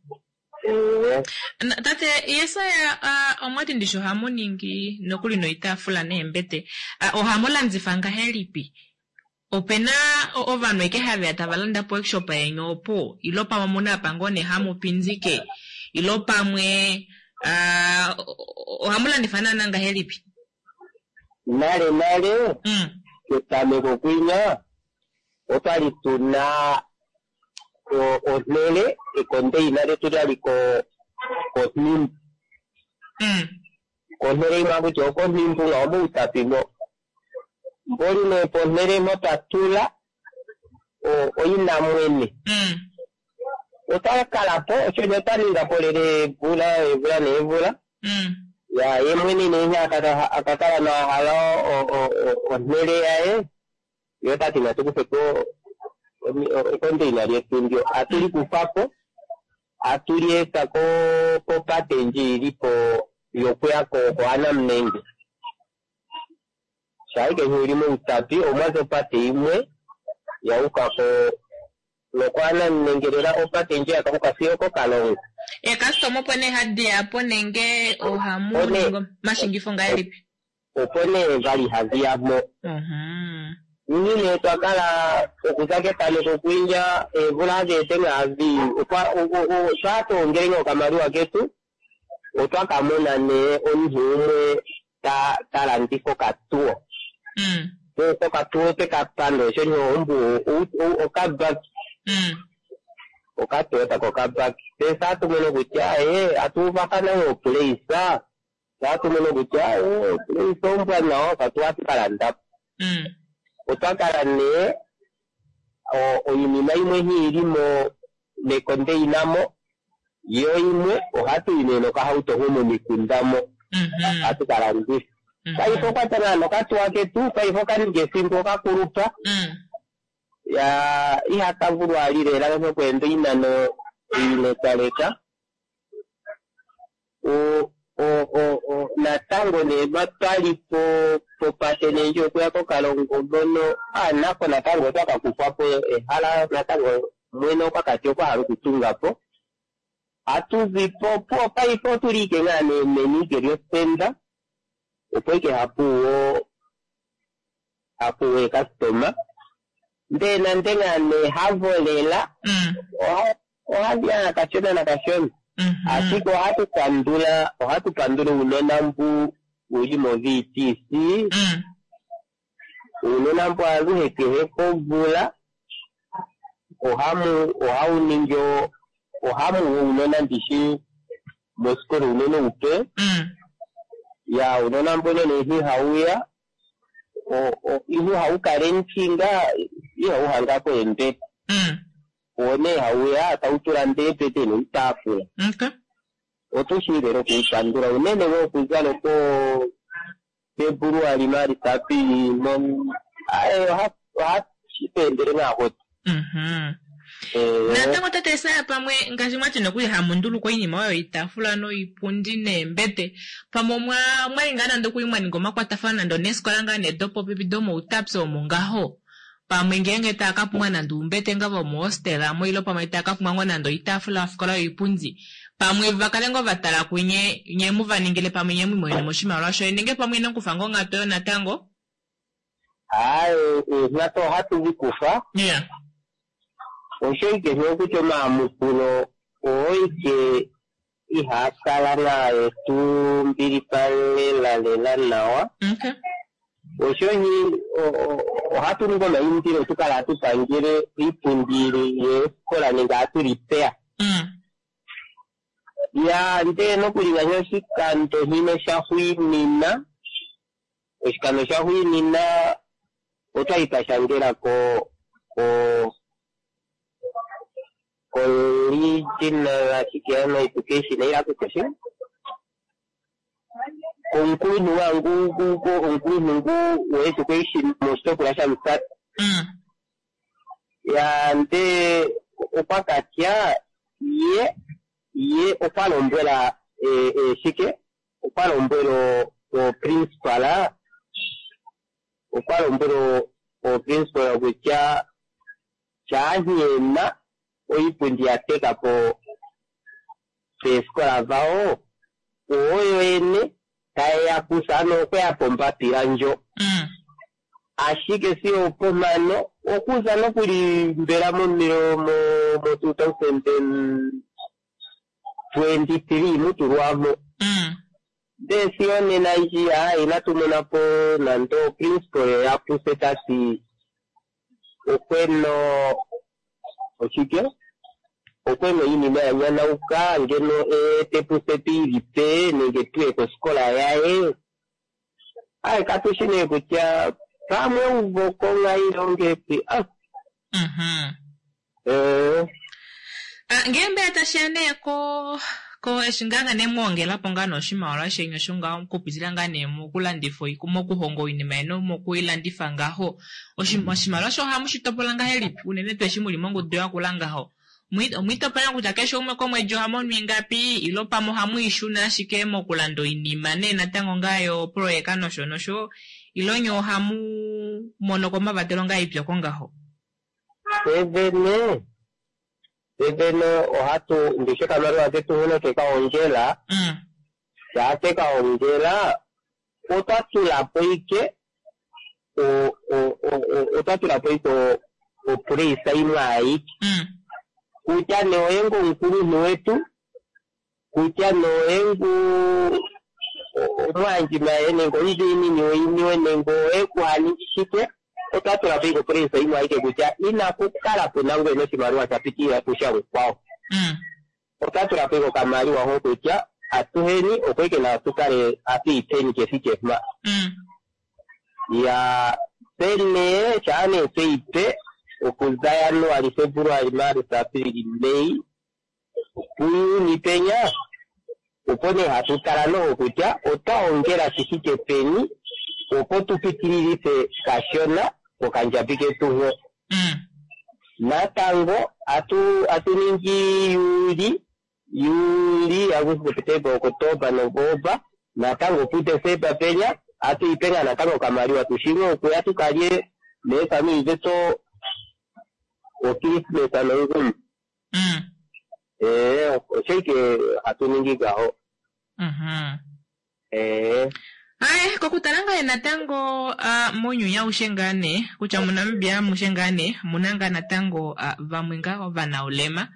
Eh, Na- Tate Yesaya, uh, omwati ndishi ohamu ningi nokuli noitaafula neembete. Uh, ohamu landifa ngahelipi? Opena o- ovanhu eke haveya tava landa po workshop yeni opo ilo pamwe omuna apa ngoo nee hamu pindike ilo pamwe uh, ohamu landifa naana ngahelipi? Nale nale Mm. ketameko kwinya otwali tuna o- onhele ekondeina letu lyali ko konhimbu. Mm. Konhele imwe akutya okonhimbu nga omoutapimo. Mboli nee ponhele mpo twa tula o- oina mwene. Mm. Otwa kala po osho nee twa ninga po lele eemvula eemvula neemvula. Mm. Ya ye mwene nee akaka akakala nahala o- o- o- onhele yaye ye otati natu kufe po ekondeina lyetu ndyo atuli kufa po atulieta ko kopate ndji ili po yokuya ko koAnamnenge. Shaike uli mOutapi omwazi opate imwe yauka ko nokoAnamnenge lela opate ndji yakauka fiyo koKalongo. Eekastoma opo nee hadi ya po nenge ohamu One- ningi omashingifo ngahelipi? Opo nee vali hadi ya mo. Mhm. Ini nee twakala okuza ketameko kwindja eemvula adhiete ngaavi okwa sho hatu ongele okamaliwa ketu otwakamona nee omunhu umwe ta ta landifa okatuwo. Mm. Okatuwo twekapanda osho nee ombu okabaki. Mm. Okatoyota kokabaki. Tse atumono kutya ee atuuvathana oopleisa atumono kutya ee opleisa ombwanawa okatuwa atuka po. Mm. Otwa kala nee o- oinima imwe hi mo mekondeina mo yo imwe ohatu yi nee nokahauto ho momikunda mo Mhm. hatu ka landifa. Mhm. Paife okwata nokatuwa ketu paife okaninga efimbo okakulupa Mm. ya ihaka vulu ali lela nokwenda oinano ilekaleka. O o o o natango nee twali po popate nee ndji okuya koKalongo mono ah nako natango otwaka kufwa po ehala natango mwene okwakati okwa hala okutunga po. Atuzi po po paife otuli ike ngaa nee meni ike lyosenda opo ike hapuwo hapuwo eekastoma ndee nande ngaa nee havo lela Mm. oha- ohadi ya kashona nakashona. Mhm. Ashike ohatu pandula ohatu pandula uunona mbu uli mo V T C. Mm. Uunona mbu aluhe kehe komvula ohamu ohau ningi o- ohamu uunona ndishi mosikola uunona upe. Mm. Ya uunona mbono nee hauya o- o- ihu haukala enchinga ihau hangako eembete. Mm. Oo nee hauya tautula ndeepete noitaafula. Okay. Otu shi lela okuupandula unene wo okuza loko February, March, April mo aye oha ohashi tweendele ngaa hotu. Mhm. Eh, Natango tate Esaya pamwe ngaashi mwati nokuli hamu nduluka oinima oyo iitaafula noipundi neembete pamwe omwa mwali ngaa nande okuli mwa ninga omakwatafano nande oneesikola ngaa nee dopopepi domoutapi omo ngaho pamwe ngeenge taya ka pumbwa nande uumbete nga vomohostela mo ile pamwe taya ka pumbwa ngoo nande oitaafula yofikola yoipundi pamwe vakale ngoo vatala kunye nye mu va ningile pamwe nye mwiimonene mo oshimaliwa shoye nenge pamwe ino kufa ngoo onghatu oyo natango. Aye eenghatu ohatu di kufa. Yeah. Osho ike sho kutya omayamukulo oo ike ihaa kala naye tu mbilipalela lela nawa. Okay. Osho hi ohatu ningi omaindilo tukala hatu pangele iipundi yeefikola nenge hatu lipeya. Mm. Ya ndee nokuli ngaashi oshikando hino shaxwiinina oshikando shaxwiinina otwali twa shangela ko ko ko regional ashike ano education ila kutya omukulunhu wangu omukulunhu ngu wo education moshitopolwa shaMusati. Mm. Ya ndee okwa katya ye ye okwa lombwela e, e, shike okwa lombwela oprincipal okwa lombwela oprincipal kutya shaanhiyena oipundi ya teka po peefikola vawo oyo yene tayeya kusa ano okweya pombapila ndjo. Mm. Ashike sigo opomano okuza nokuli mbela momilo mo mo two thousand and twenty three mutulwamo. Mm. Ndee sigo nena ndji aa inatu mona po nande oprincipal yapuse tati okweno oshike okweno iinima ya nyanauka ngeno eete puse tuilipe nenge tuye kosikola yaye. Aye katushi nee kutya Pamwe uvoko ngailongepi ah Mhm. eh Ah, ngee mbela tashiya nee ko ko eshi ngaa nga nee mwoongela po ngaa nee oshimaliwa sheni osho ngaho okupitila ngaa nee mokulandifa oi- mokuhonga oinima yeni mokuilandifa ngaho Oshi- oshimaliwa osho ohamu shi topola ngahelipi unene tuu eshi muli mongudu yakula ngaho Omwi- omwiitopola kutya keshe umwe komwedi oha mono ingapi ilo pamwe ohamu ishuna ashike mokulanda oinima nee natango ngaa yoproyeka nosho nosho ilo nye ohamu mono komavatelo ngaa ipyoko ngaho. Sevene sevene ohatu ndishe kamaliwa ketu huno kekaongela Mm. shaa tekaongela otwa tulapo ike o- o- o- o- otwa tulapo ike o- opreisa imwe ayike Mm. kutya nee oye ngu omukulunhu wetu kutya nee oye ngu omwandjimaye nenge omudiinini woiniwe nenge oye kuhaningi shike otwa tulapo ike opreisa imwe ayike kutya inaku kala puna ngwene oshimaliwa sha pitilila kusha mukwawo Mm. otwa tulapo ike okamaliwa ho kutya atuheni opo ike nawa tukale atuipeni kefike mpa Mm. ya pene shaa nee tweipe okuza Januali, Februali, Maarsa, Aprili, Mei puJuni penya opo nee hatu tala noho kutya otwa ongela shi fike peni opo tu pitililife kashona kokandjabi ketu ho Mm. natango atu atu ningi Juli Juli Agosti Septemba Oktoba Novemba natango puDesemba penya atuipenya natango okamaliwa tushiwe okuya tukalye neefamili zetu okrismesa nongumi Mm. ee osho ike hatu ningi ngaho Mhm. ee Aye, kokutala ngaa natango uh, mounyuni aushe ngaa nee kutya muNamibia amushe ngaa nee omuna ngaa natango uh, vamwe ngaa ovanaulema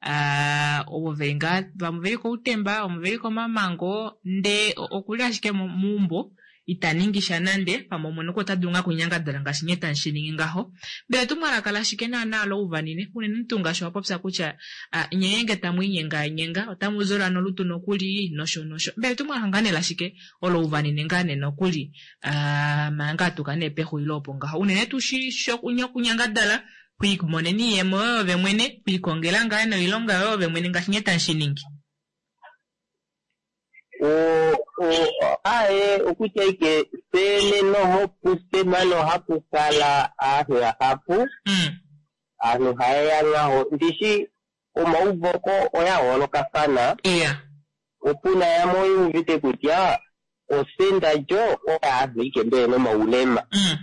uh, ovo veli ngaa vamwe veli koutemba vamwe veli komamango ndee o- okuli ashike mo- meumbo ita ningi sha nande pamwe omwene oko ota dulu ngaa okunyangadala ngaashi nye tamu shi ningi ngaho mbela etumwalaka lashike naana louvanine unene tuu ngaashi wa popya kutya ah, nye nge tamu inyenganyenga otamu zola nolutu nokuli nosho nosho mbela etumwalaka ngaa nee lashike olo uvanine ngaa nee nokuli ah, manga atuka nee pexulilo opo ngaho unene tuu shi shokunyangadala kwiimonena iiyemo yoye ove mwene kwiikongela ngaa noilonga yoye ove mwene ngaashi nye tamu shi ningi. o o aye okutya ike sene noho pusema nohapu kala aantu yahapu Mm. aantu hayeya ngaho ndishi omauvoko oya yoolokafana iya opuna yamwe oyu uvite kutya osenda lyo oyaantu ike mbele nomaulema Mm.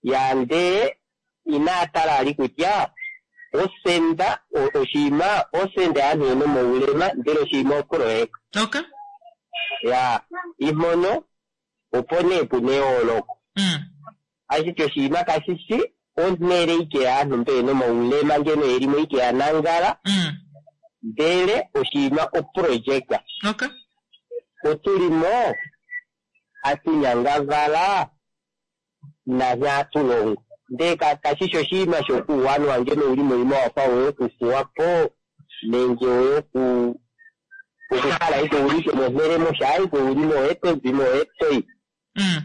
ya ndee inaa tala ali kutya osenda o- oshinima osenda yaantu yena omaulema ndele oshinima oproyeka okay ya imono opo nee puna eyooloko Mm. ashike oshinima kashishi onhele ike yaantu mbe yena omaulema ngeno yelimo ike yanangala Mm. ndele oshinima oprojeka okay otulimo atunyangavala nanye atulongo ndee ka- kashishi oshinima shokuuwanwa ngeno uli moima wafa oyokufuwapo nenge oyoku okukala ike uli ike monhele moshaa ike ulimo oye tozimo oye toyi Mm.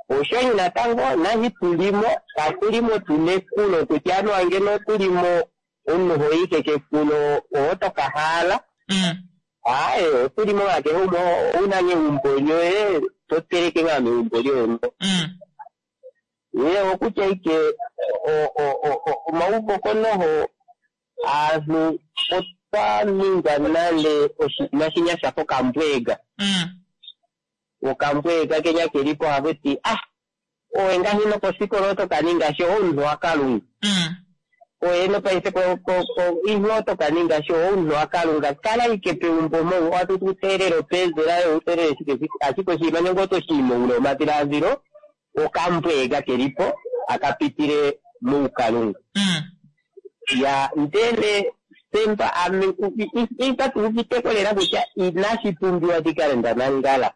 oshonyi natango nahi tulimo katulimo tuna ekulo kutya anuwa ngeno tulimo omunhu hoyike kekulo oho tokahala Mm. aye otulimo nga kehe umwe ouna ngeumbo lyoye toteleke ngaa meumbo lyoye mo Mm. ye okutya ike o- o- o- o- omauvoko noho aantu otwa ninga nale oshinima shinya shafa okambwega Mm. okambwega kenya kelipo hakuti ah owe ngahi nokosikola otokaninga sho omunhu wakalunga Mm. oye nopaife ko- ko- ko- ihe otokaninga sho omunhu wakalunga kala ike peumbo mo watu tuteelele openzela yo uteelele shike shike ashike oshinima nenge otoshii moule womadhiladhilo okambwega kelipo akapitile muukalunga Mm. ya ndele semba ame itatu uviteko lela kutya inashi pumbiwa ndikale ndanangala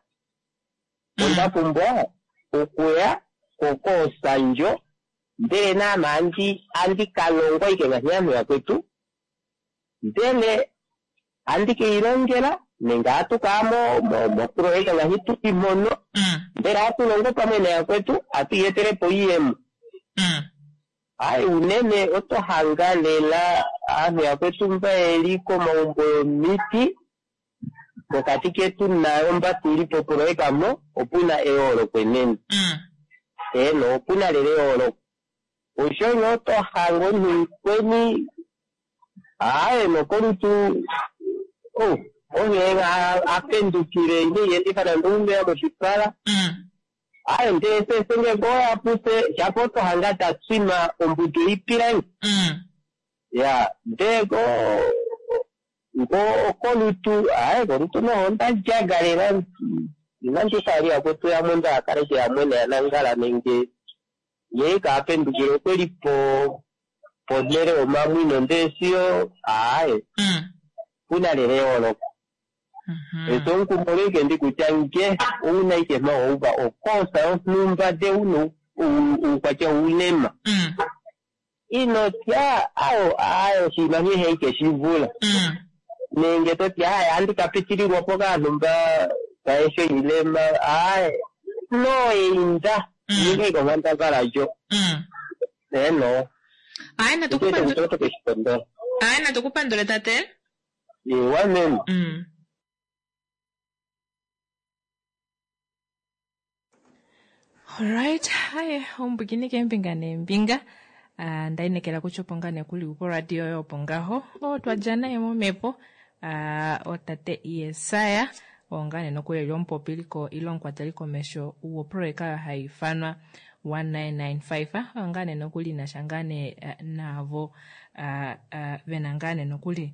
onda pumbwa okuya kokoosanjo ndele naame andi andi kalongwa ike ngaashi aantu yakwetu ndele andi keilongela nenge atu kaa mo- mo- moprojeka ngaashi tuli mono Mm. Mbela hatu longo pamwe nayakwetu hatu iyetele po iiyemo. Mm. Hayi unene oto hanga lela aantu yakwetu mba yeli komaumbo yomiti pokati ketu nayo mba tuli popoloyeka mo opuna eyooloko enene. Mm. Eeno, opuna lela eyooloko. Osho nee oto hanga omunhu mukweni aaye nokolutu oh, onghee a- apendukile ine iyendifa nande oumeya moshipala. Mm. Aye ndele sese ngenge oya puse shapo oto hanga ta tswima ombudu yoipilangi. Mm. Ya, ndee ko ngo kolutu aye kolutu noho onda lyaga lela inandi fa yakwetu yamwe nda kale ke yamwe neyanangala nenge yee kaapendukile okweli po ponhele yomamwino ndee siyo aaye Mm. puna lela eyooloko. Mhm. Eso omukumo ike ndi kutya nge ouna ike mawouva okosa yonhumba de una oukwatya woulema Mm. inotya ayo ayo oshinima nghee ike shivula Mm. nenge toti aye andi kapitililwa po kaanhu mba kaesho ilema aye noinda Mm. ninge ikonghandambala lyo Mm. eno Aye natu kupandule ete keshipondola aye natu kupandule tate. ewa meme Mm. Alright, haye ombwikini keembinga neembinga. Ah, ndainekela kutya opo ngaa nee kuli poradio yoye opo ngaho o twadja naye momhepo ah, otate Yesaya oo ngaa nee nokuli eli omupopiliko ile omukwateli komesho woproyeka oyo hai ifanwa one nine nine five oyo ngaa nee nokuli inasha ngaa nee eh, naavo ah, ah, vena ngaa nee nokuli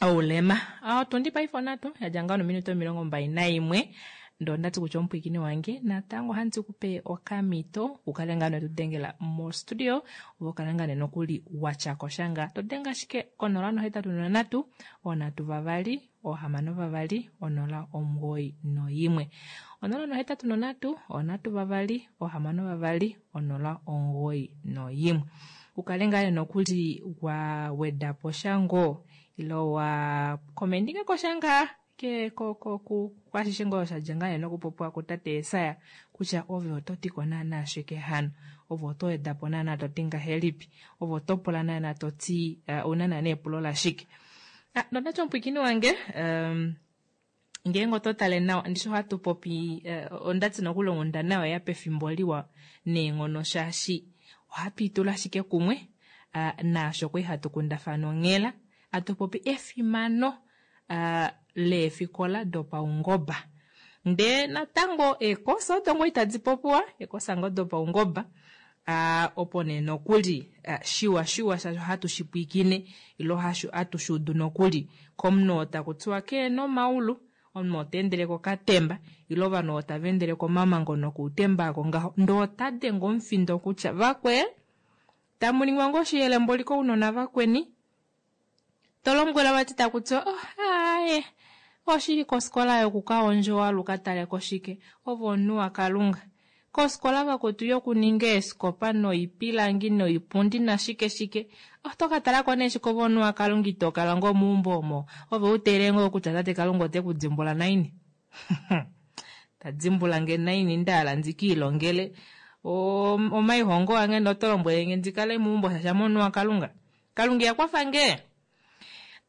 oulema. Otundi paife onatu yadja ngaho nominute omilongo mbali naimwe ndee ondati kutya omupwiikini wange natango ohandi kupe okamito ukale ngaa netudengela mostudio ove ukale ngaa nee nokuli watyako shanga todenga ashike konola nohetatu nonhatu onhatu vavali ohamano vavali onola omugoyi noimwe onola nohetatu nonhatu onhatu vavali ohamano vavali onola omugoyi noimwe ukale ngaa nee nokuli wa wedapo sha ngoo ile wa komendingako sha ngaa ke ko ko ku kwashishe ngoo shadja ngaa nee nokupopiwa kutate Yesaya kutya ove oto tiko naana shike hano ove oto wedapo naana toti ngahelipi ove oto pula naana toti uh, ouna naana epulo lashike. Ah, nondati omupwiikini wange um, ngeenge oto tale nawa ndishi ohatu popi uh, ondati nokuli onghundana oyeya pefimbo liwa neenghono shaashi ohatu itula ashike kumwe uh, naasho kwali hatu kundafana onghela hatu popi efimano uh, leefikola dopaungoba ndee natango eekosa odo ngoo itadi popiwa eekosa ngoo dopaungoba uh, opo nee nokuli uh, shiwa shiwa shaashi ohatu shipwiikine ile ohatu shuudu nokuli komunhu oo takutiwa keena omaulu omunhu oo taendele kokatemba ile ovanhu oo tava endele komamango nokuutemba ako ngaho ndee ota denge omufindo kutya vakwee tamuningwa ngoo oshiyelemboli kounona vakweni tolombwela vati takutiwa oh, aaye oshili kofikola yokukaondjowa lukataleko shike ove omunhu wakalunga kofikola vakwetu yokuninga eesikopa noipilangi noipundi nashike shike oto katalako nee shike ove omunhu wakalunga itokala ngoo meumbo omo ove uteelele ngoo kutya tate kalunga ote kudimbula naini tadimbula nge naini ndahala ndikiilongele omaihongo ange noto lombwelenge ndikale meumbo shaashi ame omunhu wakalunga kalunga iyakwafa nge.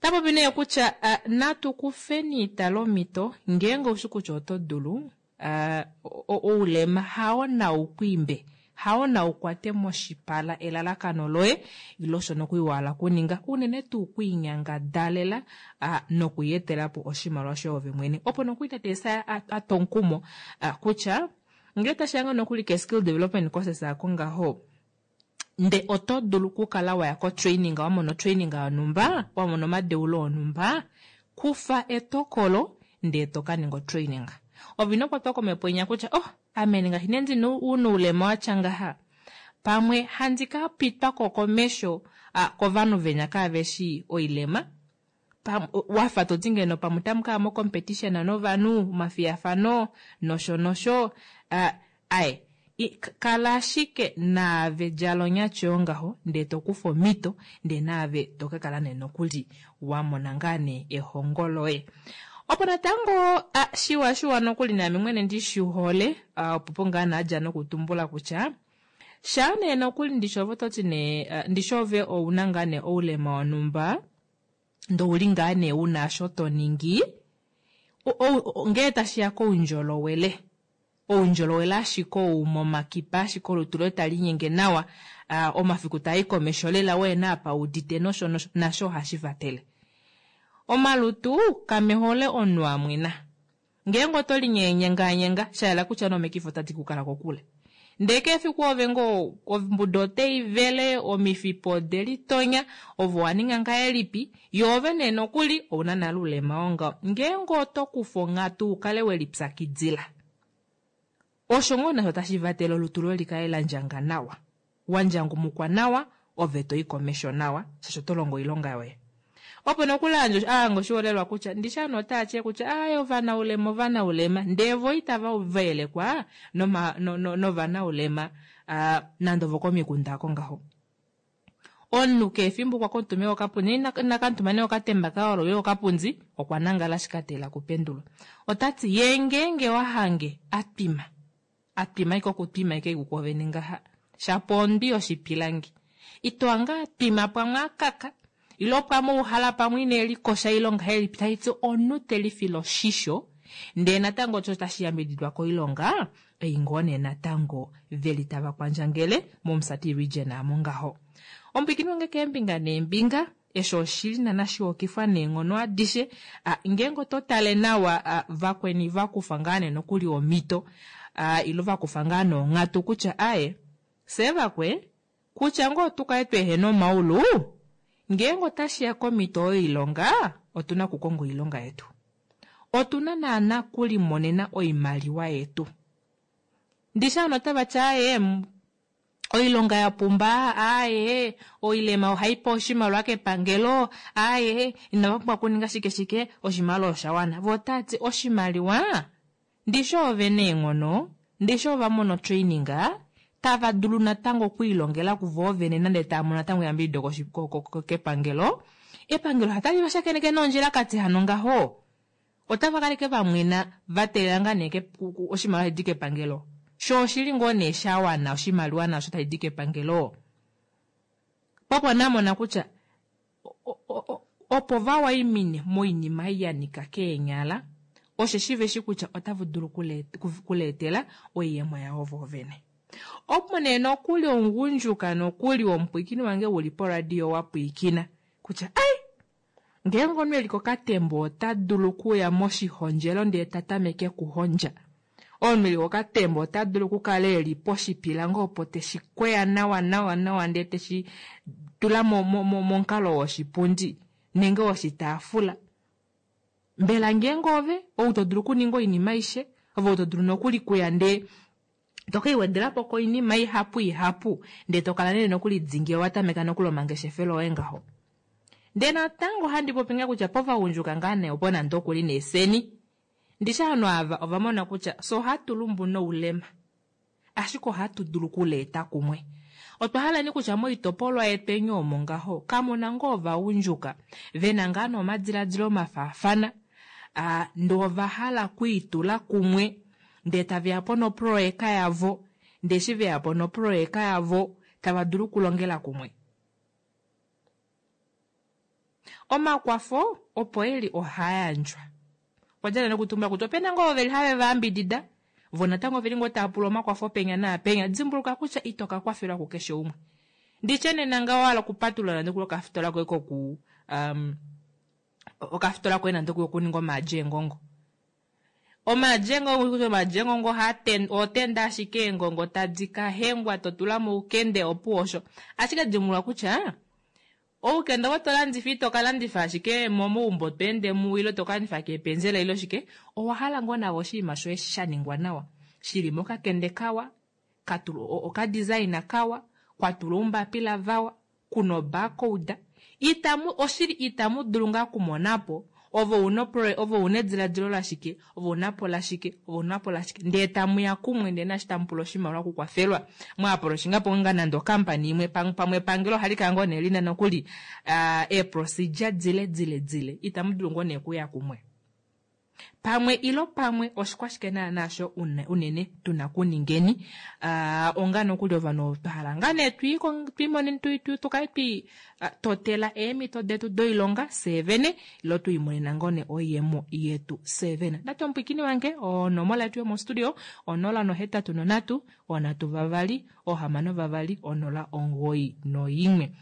Tapopi nee kutya uh, natu kufeni italomito ngeenge oushi kutya oto dulu uh, oulema hao naukwiimbe hao naukwate moshipala elalakano loye ile osho nokuli wahala kuninga unene tuu kwiinyangadalela uh, nokuyetelapo oshimaliwa shoye ove mwene opo nokuli tate Yesaya atwa omukumo uh, kutya ngele tashiya ngoo nokuli ke skill development courses ako ngaho nde oto dulu okukala waya ko-training wamona otraining yonhumba wamona omadeulo onhumba kufa etokolo ndee tokaninga otraining ove ino kwatwa komhepo inya kutya oh ame ngaashi nee ndina oulema watya ngaha pamwe handi kapitwako komesho ah, kovanhu venya kaveshi oilema wafa toti ngeno pamwe otamu kaya mo competition novanhu omafiyafano nosho nosho ah, aye kala ashike naave djala onyati yongaho ndee tokufa omhito ndee naave tokakala nee nokuli wamona ngaa nee ehongo loye. Opo natango a, shiwa shiwa nokuli naame mwene ndi shi hole, opo po ngaa naadja nokutumbula kutya shaa nee nokuli ndishi ove ototi nee ndishi ove ouna ngaa nee oulema wonhumba ndee ouli ngaa nee una osho to ningi, ngee tashiya koundjolowele, oundjolowele ashike ou momakipa ashike olutu loye taliinyenge nawa, omafiku taayi komesho lela weena apa udite nosho nosho nasho ohashi vatele. Omalutu kamehole omunhu amwena. Ngeenge oto linyenganyenga shayela kutya nomikifi otadi kukala kokule. Ndee kefiku ove ngoo ombuda otaivele, omifipa odelitonya, ove owaninga ngahelipi, yoo ove nee nokuli ouna nale oulema wongaho. Ngeenge oto kufa onghatu ukale welipyakidila, osho ngoo nasho tashi vatele olutu loye likale landjanga nawa, wandjangumukwa nawa, ove toyi komesho nawa, shaashi oto longo oilonga yoye. Opo nokuli ahanga oshiholelwa kutya ndishi ovanhu otava kutya aaye ovanaulema ovanaulema ndee vo itava vayelekwa novanaulema nande ovokomikunda oko ngaho. Omunhu kehe efimbo okwa kuutumba kokapundi inakamutuma nee okatemba kaye olo ile okapundi okwa nangala ashike ateelela okupendulwa. Otati yee ngeenge wahange atwima, atwima ashike okutwima ashike kwoovene ngaha shapo ondwi yoshipilangi ito hange atwima pamwe akaka ile pamwe ouhala pamwe inelikosha ile ongahelipi taiti omunhu telifile oshisho ndee natango osho tashi yambididwa koilonga ei ngoo nee natango veli tava kwandjangele mOmusati region aamo ngaho. Omupwiikini wange keembinga neembinga eshi oshili nana shihokifwa neenghono adishe, ngeenge oto tale nawa vakweni vakufa ngaa nee nokuli omhito ile vakufa ngaa nee onghatu kutya aaye fyee vakwe kutya ngoo otukale tweehena omaulu ngeenge otashiya komhito yoilonga otuna okukonga oilonga yetu. Otuna naana kulimonena oimaliwa yetu. Ndishi ovanhu otavati aaye oilonga yapumba, aaye oilema ohaipewa oshimaliwa kepangelo, aaye inava pumbwa okuninga shike shike oshimaliwa osha wana. Voo otavati oshimaliwa ndishi ove neenghono, ndishi ovamona otraining tava dulu natango okwiilongela kuvo vene nande tava mono natango eyambidido kepangelo, epangelo otali va shakeneke noondjilakati hano ngaho. Otava kaleke vamwena vateelela ngaa nee oshimaliwa shidi kepangelo. Sho oshili ngoo nee shawana oshimaliwa nasho tashidi kepangelo. Popo namona kutya opo vawaimine moinima ei yanika keenyala osheshi veshi kutya otava dulu kuleetela oiyemo yavo voovene. Opo nee nokuli omugundjuka nokuli womupwiikini wange uli poradio wapwiikina kutya ai ngeenge omunhu eli kokatembo ota dulu okuya moshihondjelo ndee ta tameke okuhondja. Omunhu eli kokatembo ota dulu okukala eli poshipilangi opo teshi kweya nawa nawa nawa ndee teshi tula momukalo woshipundi nenge woshitaafula. Mbela ngeenge ove ou to dulu okuninga oinima aishe, ove ou to dulu nokuli kuya ndee tokeiwedelapo koinima ihapu ihapu ndee tokala nee nokuli dingi owatameka nokuli omangeshefelo oye ngaho. Ndee natango handi popi ngaa kutya povagundjuka ngaa nee opo nande okuli neeseni. Ndishi ovanhu ava ovamona kutya fye ohatu lumbu noulema ashike ohatu dulu okuleeta kumwe. Otwa hala nee kutya moitopolwa yetu eni omo ngaho kamuna ngoo ovagundjuka vena ngaa nee omadiladilo mafaafana, ndee ovahala okwiitula kumwe ndee taveya po noproyeka yavo, ndee eshi veya po noproyeka yavo tava dulu okulongela kumwe. Omakwafo opo eli ohaayandjwa. Okwa djala nokutumbula kutya opena ngoo veli have vayambidida vo natango oveli ngoo tava pula omakwafo penya naapenya. Dimbuluka kutya ito ka kwafelwa kukeshe umwe. Nditye nena ngaho wahala okupatulula nande okuli okafitola koye koku um, okafitola koye nande okuli okuninga omaadi eengongo. Omaadi eengongo kutya omaadi eengongo otenda ashike eengongo tadi kahengwa to tula moukende opuwo osho. Ashike dimbuluka kutya oukende ovo tolandifa ito kalandifa ashike momaumbo tweende mu ile tokalandifa keepenzela ile shike, owahala ngoo navo oshinima shoye sha ningwa nawa shili mokakende kawa, okadesign kawa, kwatulwa oumbapila vawa, kuna obarcode, itamu oshili itamu dulu ngaa okumonapo ove una ove una ediladilo lashike, ove unapo lashike, ove unapo lashike, ndee tamuya kumwe ndee naashi tamupula oshimaliwa okukwafelwa mwaaprochinga ngaa nande okampani imwe pamwe epangelo ohali kala ngoo nee lina nokuli eeprocedure dile dile dile itamu dulu ngoo nee okuya kumwe. Pamwe ilo pamwe oshikwashike naana sho unene tuna kuningeni uh, onga nokuli ovanhu twa hala ngaa nee twiimonene tukale twi totela eemhito detu doilonga fyee vene ilo twiimonena ngoo nee oiyemo yetu fyee vene. Ndati omupwiikini wange onomola yetu yomostudio onola nohetatu nonhatu onhatu vavali ohamano vavali onola omugoyi noimwe.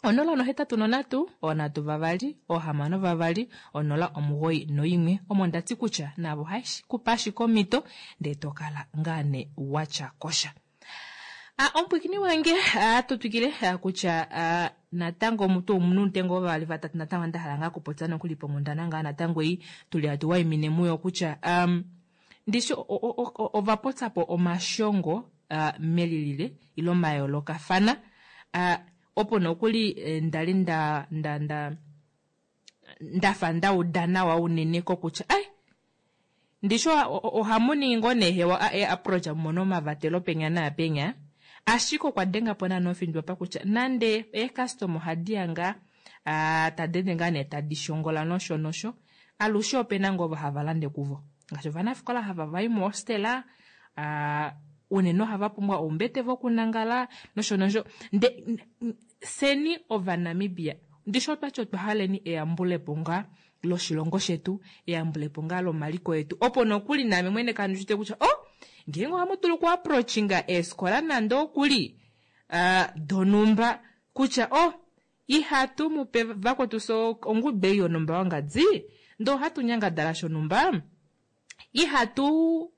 Onola nohetatu nonhatu onhatu vavali ohamano vavali onola omugoyi noimwe. Omo ndati kutya navo ohashi ashike omhito ndee tokala ngaa nee watya kosha. Ah, omupwiikini wange ohatu twikile kutya natango mutu omunhu ngoo vavali vatatu natango nda hala ngaa kupopya nokuli ponghundana ngaa natango ei tuli hatu waimine muyo kutya um, ndishi ovapopyapo omashongo uh, melilile ilo mayoolokafana uh, opo nokuli ndali nda nda nda ndafa ndauda nawa unene kokutya ai ndishi ohamu ningi ngoo nee hewa approach mumono omavatelo penya naapenya ashike okwa denga po naana ofindo apa kutya nande eecustom ohadi ya ngaa tadi ende ngaa nee tadi shongola nosho nosho alushe opena ngoo ovo hava lande kuvo ngaashi ovanafikola hava vai mohostela unene ohava pumbwa oumbete vokunangala nosho nosho nde seni ovanamibia ndishi otwati otwa haleni eyambulepo ngaa loshilongo shetu eyambulepo ngaa lomaliko etu opo nokuli naame mwene kandishite kutya oh ngeenge ohamu dulu oku approachinga eefikola nande okuli uh, donumba kutya oh ihatu mupe vakwetu so ongudu ei yonumba wangadi ndee ohatu nyangadala shonumba ihatu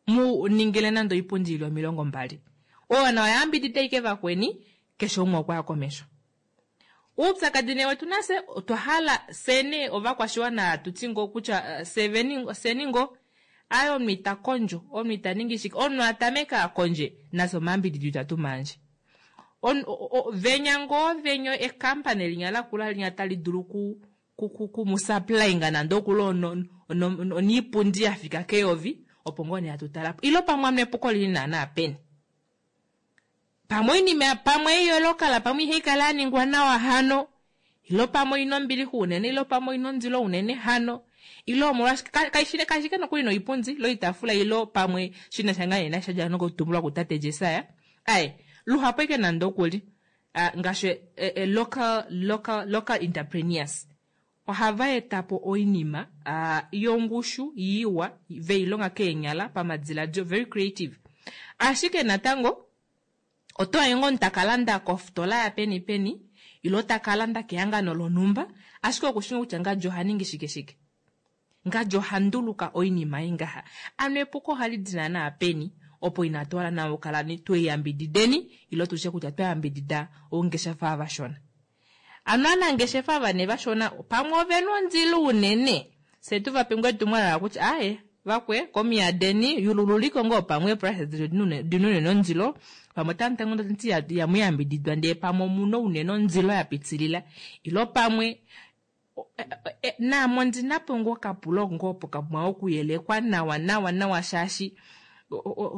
mu ningile nande oipundi ili omilongo mbali oyo nawa yambidida ike vakweni keshe umwe okwaya komesho. Uupyakadi nee wetu nase otwa hala sene ovakwashiwana tuti ngoo kutya seni ngoo aye omunhu ita kondjo omunhu ita ningi shike omunhu atameka akondje nafye omayambidido itatu mandje venya ngoo venyo ekampani linya lakula linya tali dulu ku kumusupplyinga nande okuli oniipundi yafika keyovi opo ngoo nee hatu talapo ilo pamwe amwe epuko lili naana peni pamwe oinima pamwe iyolokala pamwe ihaikala yaningwa nawa hano ilo pamwe oina ombilixa unene ilo pamwe oina ondilo unene hano ilo omolwashike kashike nokuli noipundi ilo oitaafula ilo pamwe shinasha ngaa nee nashadja nokutumbulwa kutate Jesaya aye luhapu eke nande okuli ngaashi local local local entrepreneurs ohava etapo oinima yongushu iwa veilonga keenyala pamadiladilo very creative ashike natango oto hange ngoo takalanda kofitola ya peni peni ilo takalanda kehangano lonhumba ashike okushinga kutya ngadji ohaningi shike shike ngadji ohanduluka oinima ingaha ano epuko ohali di naana peni opo inatu hala nawa okukala tweyambidideni ilo tutye kutya twayambidida oungeshefa vashona ano anangeshefa vane vashona pamwe ovena ondilo unene fye tuvape ngoo etumwalaka kutya aye vakwe komiyadeni yulululiko ngoo pamwe eeprice dina unene ondilo pamwe otamu yamuyambididwa ndee pamwe omuna unene ondilo yapitilila ilo pamwe naame ondinapo ngoo okapulo ngoo opo kapumbwa okuyelekwa nawa nawa nawa shaashi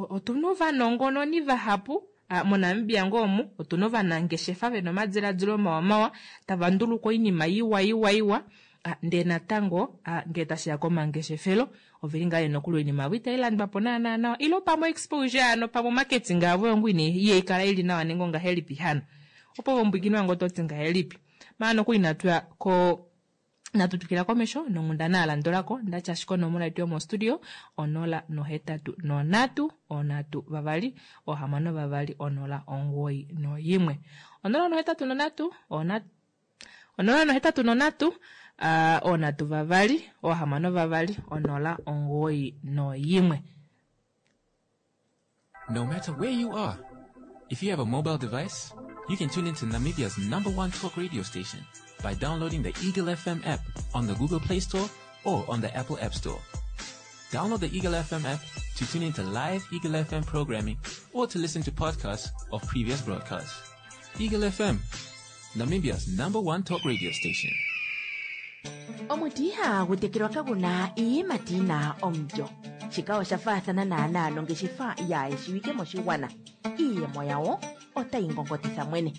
otuna ovanongononi vahapu moNamibia ngoo omu otuna ovanangeshefa vena omadiladilo mawa mawa tava nduluka oinima iwa iwa iwa ndee natango ngee tashiya komangeshefelo oveli ngaa nokuli oinima yavo itailandwa po naana nawa ilo pamwe exposure ano pamwe marketing yavo yongo ihaikala ili nawa nenge ongahelipi hano opo vombwikini wange ototi ngahelipi maana nokuli natuya ko natutukila komesho nonghundana yalandulako ndati ashike onomola yetu yomostudio onola nohetatu nonhatu onhatu vavali ohamano vavali onola omugoyi noyimwe onola nohetatu nonhatu onola nohetatu nonhatu uh, onhatu vavali ohamano vavali onola omugoyi noyimwe. No matter where you are, if you have a mobile device, you can tune into Namibia's number one talk radio station by downloading the Eagle F M app on the Google Play Store or on the Apple App Store. Download the Eagle F M app to tune into live Eagle F M programming or to listen to podcasts of previous broadcasts. Eagle F M, Namibia's number one talk radio station. Omuti ihagu tekelwa kaguna iiyimati yina omulyo. Shika osha faathana naana nongeshefa yaayeshiwike moshigwana. Iiyemo yawo otayi ngongotitha mwene.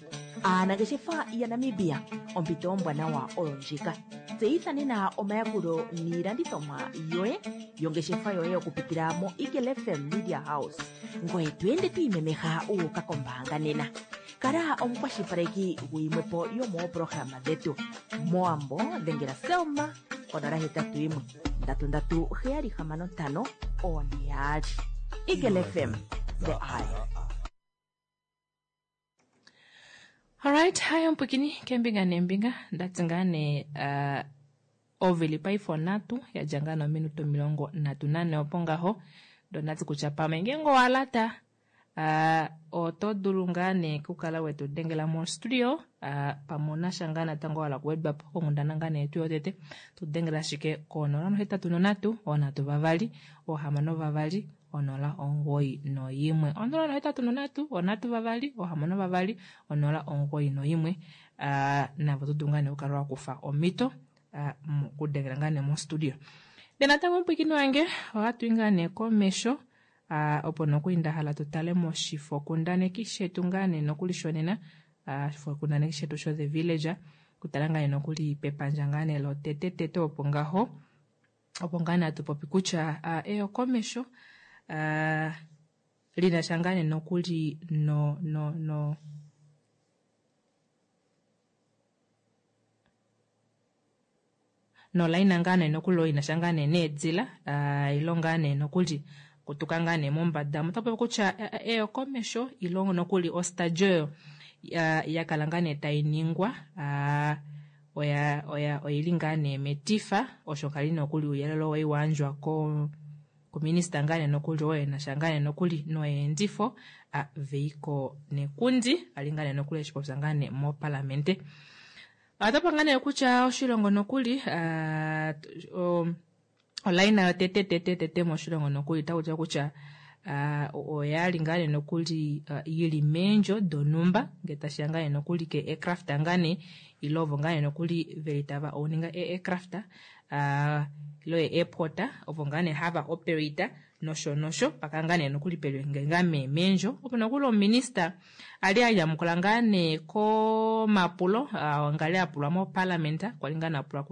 Aanangeshefa yaNamibia, ompito ombwanawa oyo ndjika. Tseyitha nena omayakulo niilandithomwa yoye yongeshefa yoye okupitila mo Eagle F M Media House, ngoye to ende to imemeha wu uka kombaanga nena. Kala omukwashilipaleki guyimwepo yomoopolohalama dhetu. Mowambo dhengela Selma konola hetatu yimwe ndatu ndatu heyali hamano ntano one yaali. Eagle F M, the eye. Alright, haya mpwikini kembinga nembinga ndati ngaa nee uh, ovili paife onhatu yadja ngaa nominute omilongo nhatu nane opo ngaho ndo ndati kutya pamwe ngeenge owalata uh, oto dulu ngaa nee kukala wetu dengela mo studio uh, pamwe onasha ngaa natango wala kuwedwa po konghundana ngaa nee yetu yotete tu dengela ashike konola nohetatu nonhatu onhatu vavali ohamano vavali onola omugoyi noyimwe onola nohetatu nonhatu onhatu vavali ohamano vavali onola omugoyi noyimwe uh, navo to dulu ngaa nee okukala wakufa omhito uh, mokudengela ngaa nee mo studio. Ndee natango omupwiikini wange ohatu i ngaa nee komesho uh, opo nokuli nda hala tutale moshifokundaneki shetu ngaa nee nokuli shonena uh, oshifokundaneki shetu sho The Villager kutala ngaa nee nokuli pepandja ngaa nee lotete opo ngaho opo ngaa nee hatu popi kutya uh, eyokomesho uh, linasha ngaa nee nokuli no no no nolaina ngaa nee nokuli oyo inasha ngaa nee needila uh, ilo ngaa nee nokuli kutuka ngaa nee mombada otapopi kutya eyokomesho ilo nokuli ostadio oyo yakala ngaa nee tainingwa uh, oya oya oili ngaa nee metifa osho kali nokuli ouyelele oo wayandjwa ko kuminista ngaa nee nokuli oyo enasha ngaa nee nokuli noyeendifo uh, Veiko Nekundi ali ngaa nee nokuli eshipopya ngaa nee mopalamente. Otapa ngaa nee kutya oshilongo nokuli uh, um, olaina yotete tete tete moshilongo nokuli otakutiwa kutya uh, oyali ngaa nee nokuli uh, yili meendjo donhumba ngee tashiya ngaa nee nokuli ke aircraft ngaa nee ile ovo ngaa nee nokuli veli tava ouninga e aircraft uh, ilo e airport ovo ngaa nee hava operate nosho nosho paka ngaa nee nokuli peli ngaa mee meendjo opo nokuli ominista ali anyamukula ngaa nee komapulo uh, ngali apulwa mo parliament kwali ngaa nee apulwa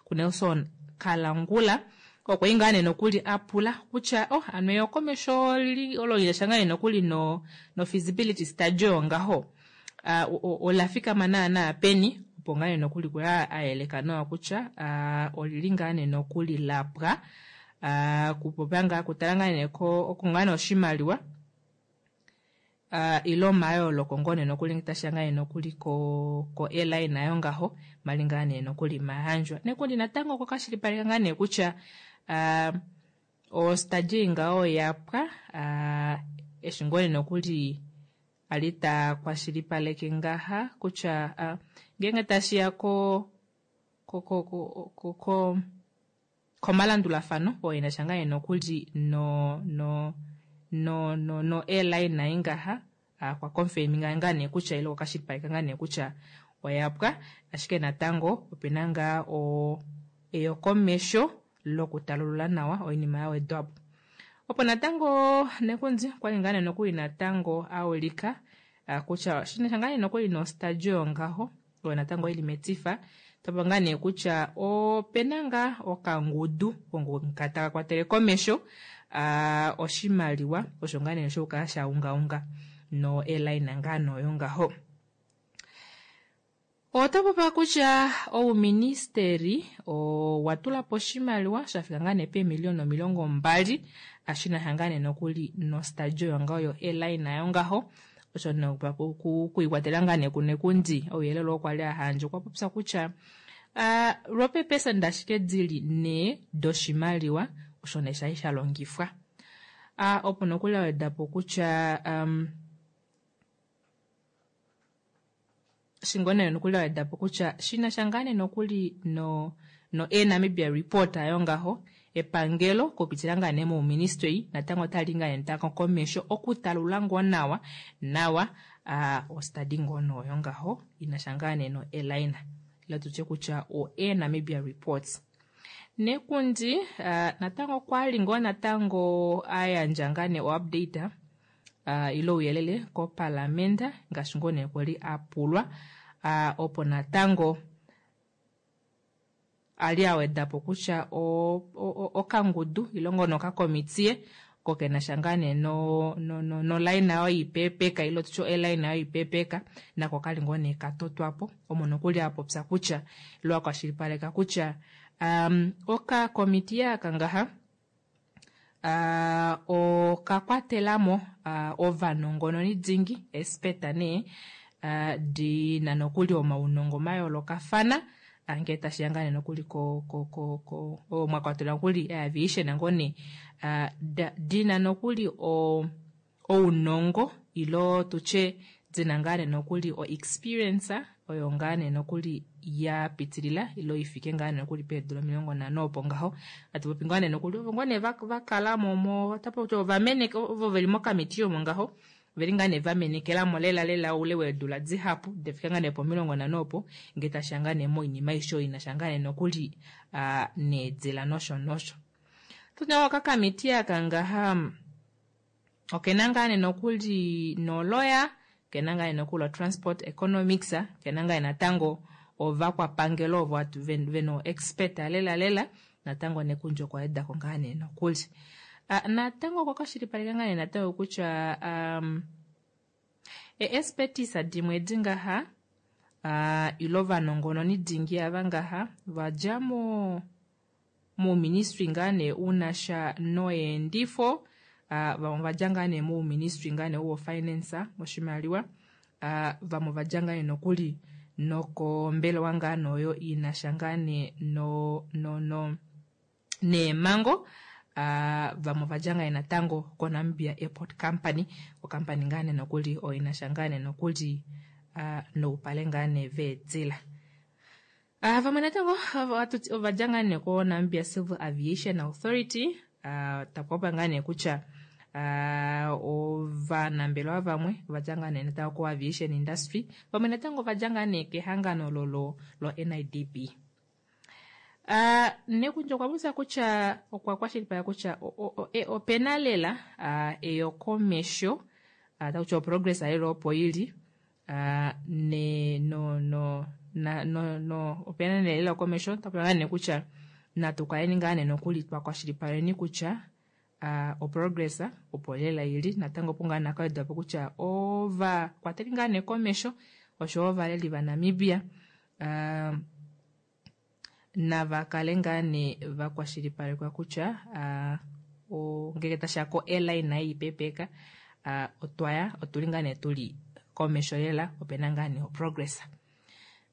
ku Nelson Kalangula okwa i ngaa nee nokuli apula kutya oh ano eyokomesho olo linasha ngaa nee nokuli no, no feasibility study oyo ngaho uh, olafikama naana peni opo ngaa nee nokuli kula ayeleka nawa kutya uh, olili ngaa nee nokuli lapwa uh, kupopya ngaa kutala ngaa nee oko ngaa nee oshimaliwa uh, ilo omayooloko ngoo nee nokuli tashiya ngaa nee nokuli ko, ko airline nayo ngaho mali ngaa nee nokuli mayandjwa nekundi natango okwa kashilipaleka ngaa nee kutya uh, ostadio ngaho yapwa uh, eshi ngoo nee nokuli ali ta kwashilipaleke ngaha kutya uh, ngeenge tashiya ko ko ko ko ko, ko komalandulafano oyo inasha ngaa nee nokuli no no no no no airline nayi ngaha uh, kwa confirminga ngaa nee kutya ile okashilipaleka ngaa nee kutya oyapwa ashike natango opena ngaa o eyokomesho lokutalulula nawa oinima yawedwapo. Opo natango Nekundi kwali ngaa nee nokuli natango aulika uh, kutya shinasha ngaa nee nokuli nostadio ngaho oyo natango ili metifa topa ngaa nee kutya opena ngaa okangudu nga taka kwatele komesho uh, oshimaliwa osho ngaa nee shokukala sha ungaunga no airline ngaa noyo ngaho. Otapopa kutya ouministeri owatulapo oshimaliwa shafika ngaa nee peemiliona omilongo mbali ashinasha ngaa nee nokuli nostadio yongaho yo airline nayo ngaho osho kuikwatela ngaa nee kuNekundi ouyelele oo kwali ahandja okwa popya kutya uh, lwopeepesenda ashike dili nhee doshimaliwa osho nee shali sha longifwa. Uh, opo nokuli awedapo kutya um, shingone nokuli awedapo kutya shinasha ngaa nee nokuli no no Air Namibia report ayo ngaho epangelo kupitila ngaa nee mouministry natango otali ngaa nee natango komesho okutalula ngoo nawa nawa uh, ostadi ngoo noyo ngaho inasha ngaa nee no airline ila tutye kutya o Air Namibia reports. Nekundi uh, natango kwali ngoo natango ayandja ngaa nee o update uh, ile ouyelele kopalamenda ngaashi ngoo nee kwali apulwa uh, opo natango ali awedapo kutya okangudu ile ngoo nokakomitiye ko kenasha ngaa nee no, no, no, nolaina oyo ipeepeka ile tutye elaina oyo ipeepeka nako kali ngoo nee katotwapo omo nokuli apopya kutya ile akwashilipaleka kutya um, okakomitiye aka ngaha uh, okakwatelamo uh, ovanongononi dingi expert nee uh, dina nokuli omaunongo mayoolokafana ngee tashiya ngaa nee nokuli ko ko ko ko mwakwatelwa nokuli aviation ngoo nee uh, dina nokuli o ounongo ilo tutye dina ngaa nee nokuli o experience oyo ngaa nee nokuli ya pitilila ilo ifike ngaa nee nokuli peedula omilongo nhano opo ngaho atupopi ngaa nee nokuli ovo ngoo nee vakalamo mo tapo ovameneke ovo veli mokamiti omo ngaho veli ngaa nee vamenekelamo lela lela oule weedula dihapu dafika ngaa nee pomilongo nhano opo ngee tashiya ngaa nee moinima aishe oyo inasha ngaa nee nokuli uh, needila nosho nosho. Tutya okakamiti aka ngaha okena ngaa nee nokuli noloya kena ngaa nee nokuli transport economics kena ngaa natango ovakwapangelo ovo atu veno expert lela lela natango nekundjo kwa edako ngaa nee nokuli. Uh, natango okwa kwashilipaleka ngaa nee natango kutya um, e-expertise dimwe dingaha uh, ilo ovanongononi dingi ava ngaha vadja mo muuministry ngaa nee unasha noyeendifo uh, vamwe vadja ngaa nee muuministry ngaa nee wo finance oshimaliwa uh, vamwe vadja ngaa nee nokuli nokombelewa ngaa noyo inasha ngaa nee no, no, no, neemango Uh, vamwe vadja ngaa natango koNamibia Airport Company okampani ngaa nee nokuli oyo inasha ngaa nee nokuli uh, noupale ngaa nee veedila. Uh, vamwe natango ovadja ngaa nee koNamibia Civil Aviation Authority uh, takupopa ngaa nee kutya uh, ovanambelewa vamwe ovadja ngaa nee natango ko aviation industry vamwe natango ovadja ngaa nee kehangano lolo lo N I D B. Uh, nekundjo okwa popya kutya okwa kwashilipaleka kutya opena lela uh, eyokomesho uh, takutya oprogress lela opo ili uh, ne no no na no no opena lela eyokomesho takuti nee kutya natu kaleni ngaa nee nokuli twa kwashilipaleni kutya uh, oprogress opo lela ili natango opo ngaa nakawedwapo kutya ovakwateli ngaa nee komesho osho ovaleli vaNamibia uh, nava kale ngaa nee vakwashilipalekwa kutya uh, ngeke tashiya ko airline ei ipeepeka uh, otwaya otuli ngaa nee tuli komesho lela opena ngaa nee oprogress.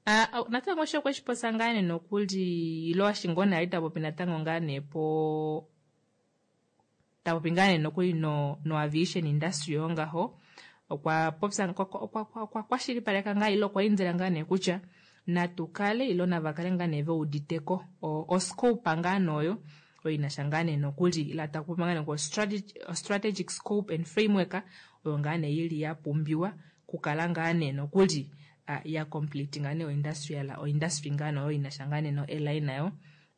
Uh, natango osho okweshipopya ngaa nee nokuli ilo ashingona ali tapopi natango ngaa nee po tapopi ngaa nee nokuli no, no aviation industry yo ngaho okwa popya okwa kwashilipaleka ngaa ilo okwa indila ngaa nee kutya natukale ilo navakale ngaa nee veuditeko oscope ngaa noyo oyo inasha ngaa nee nokuli ila takupopi ngaa nee ko strategic scope and framework oyo ngaa nee ili ya pumbiwa kukala ngaa nee nokuli uh, ya complete ngaa nee oindustrial oindustry ngaa noyo inasha ngaa nee no airline nayo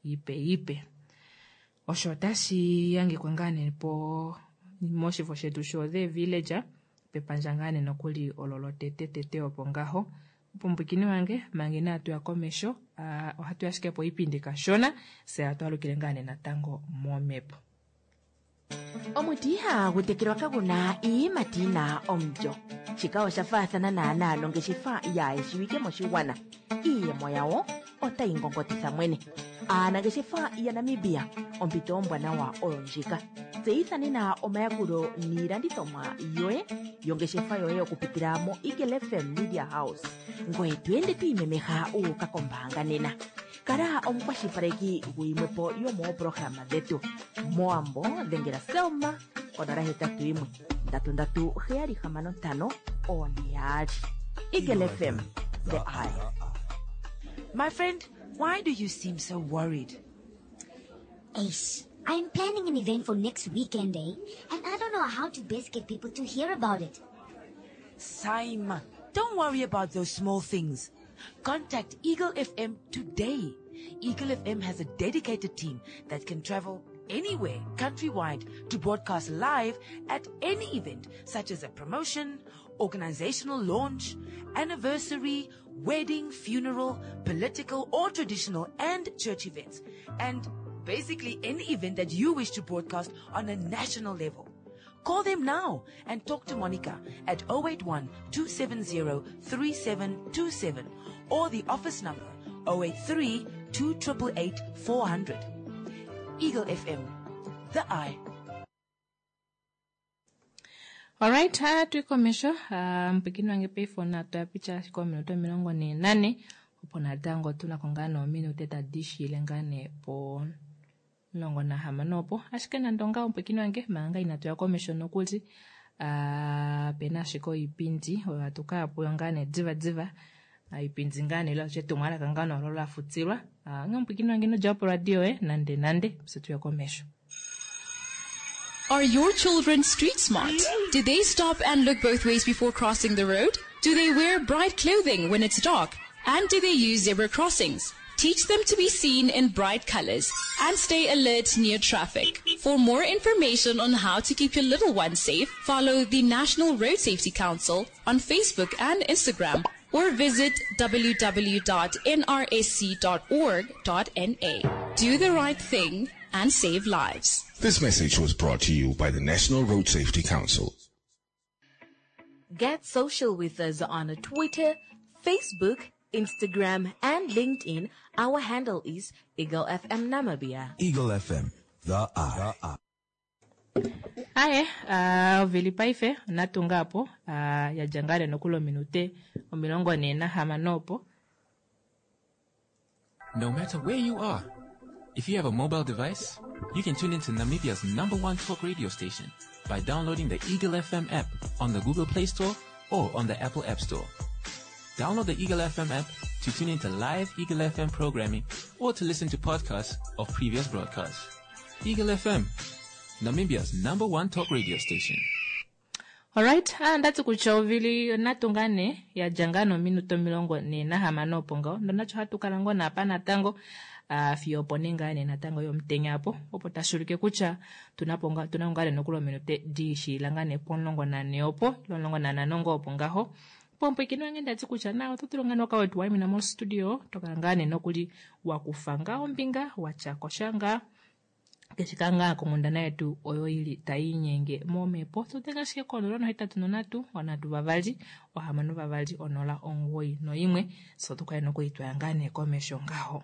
ipe ipe. Osho otashi yangikwa ngaa nee po moshifo shetu sho The Villager pepandja ngaa nee nokuli ololo tete tete opo ngaho. Pumbukini wange mange na atu ya komesho uh, ohatu ashike po ipindi kashona se atu alukile ngaa nee natango momepo. Omuti ihagu tekelwa kaguna iiyimati yina omulyo. Shika osha faathana naanaa nongeshefa yaayeshiwike moshigwana. Iiyemo yawo otayi ngongotitha mwene. Aanangeshefa yaNamibia ompito ombwanawa oyo ndjika. Tseyitha nena omayakulo niilandithomwa yoye yongeshefa yoye okupitila mo Eagle F M Media House. Ngoye to ende to imemeha uuka kombaanga nena. Kala omukwashilipaleki guyimwepo yomooprograma dhetu. Moambo dhengela Selma onola hetatu yimwe ndatu ndatu heyali hamano ntano one yaali. Eagle F M, the eye. My friend, why do you seem so worried? Ace, I'm planning an event for next weekend, eh? And I don't know how to best get people to hear about it. Saima, don't worry about those small things. Contact Eagle F M today. Eagle F M has a dedicated team that can travel anywhere countrywide to broadcast live at any event such as a promotion, organizational launch, anniversary, wedding, funeral, political or traditional and church events, and basically any event that you wish to broadcast on a national level. Call them now and talk to Monica at oh eight one two seven zero three seven two seven or the office number oh eight three two eight eight four hundred. Eagle F M, the Eye. Alright, hatu komesho mpikini wange payphone atoya picha ashike ominute omilongo ne nane opo natango tunako ngaa noominute tadi shiile ngaa nee po omulongo nahamano opo ashike nande ongaho mpwikini wange manga inatu ya komesho nokuli uh, pena ashike oipindi oyo hatu kaya puyo ngaa nee diva diva iipindi ngaa nee ilo etumwalaka ngaa nolo lafutilwa uh, nge mpwikini wange inodja po radio e nande nande fye tuye komesho. Are your children street smart? Do they stop and look both ways before crossing the road? Do they wear bright clothing when it's dark? And do they use zebra crossings? Teach them to be seen in bright colors and stay alert near traffic. For more information on how to keep your little ones safe, follow the National Road Safety Council on Facebook and Instagram or visit w w w dot n r s c dot org dot n a. Do the right thing and save lives. This message was brought to you by the National Road Safety Council. Get social with us on Twitter, Facebook, Instagram, and LinkedIn. Our handle is Eagle F M Namibia. Eagle F M, the Eye. Aye, uh, ovili paife onatunga apo uh, yadja ngaa nokuli ominute omilongo ne nahamano opo. No matter where you are, if you have a mobile device, you can tune into Namibia's number one talk radio station by downloading the Eagle F M app on the Google Play Store or on the Apple App Store. Download the Eagle F M app to tune into live Eagle F M programming or to listen to podcasts of previous broadcasts. Eagle F M, Namibia's number one talk radio station. Alright, ah, ndati kutya ovili onatunga ne yadja ngaa nominute omilongo ne nahamano opo ngaho ndonacho hatu kala ngoo naapa natango uh, fiyo opo ne ngaa ne natango yomutenya apo opo tashulike kutya tunapo nga- tuna ngaa ne nokuli ominute diishiila ngaa ne pomulongo nane opo ilo omulongo nanhano ngoo opo ngaho pompwikini wange ndati kutya na oto tulu ngaa noka wetu waimina mostudio tokala ngaa ne nokuli wakufa ngaa ombinga watyakosha ngaa keshe ngaa konghundana yetu oyo ili taiinyenge momhepo tutenga ashike konola nohetatu nonhatu onhatu vavali ohamano vavali onola omugoyi noimwe so tukale nokuli twaya ngaa nee komesho ngaho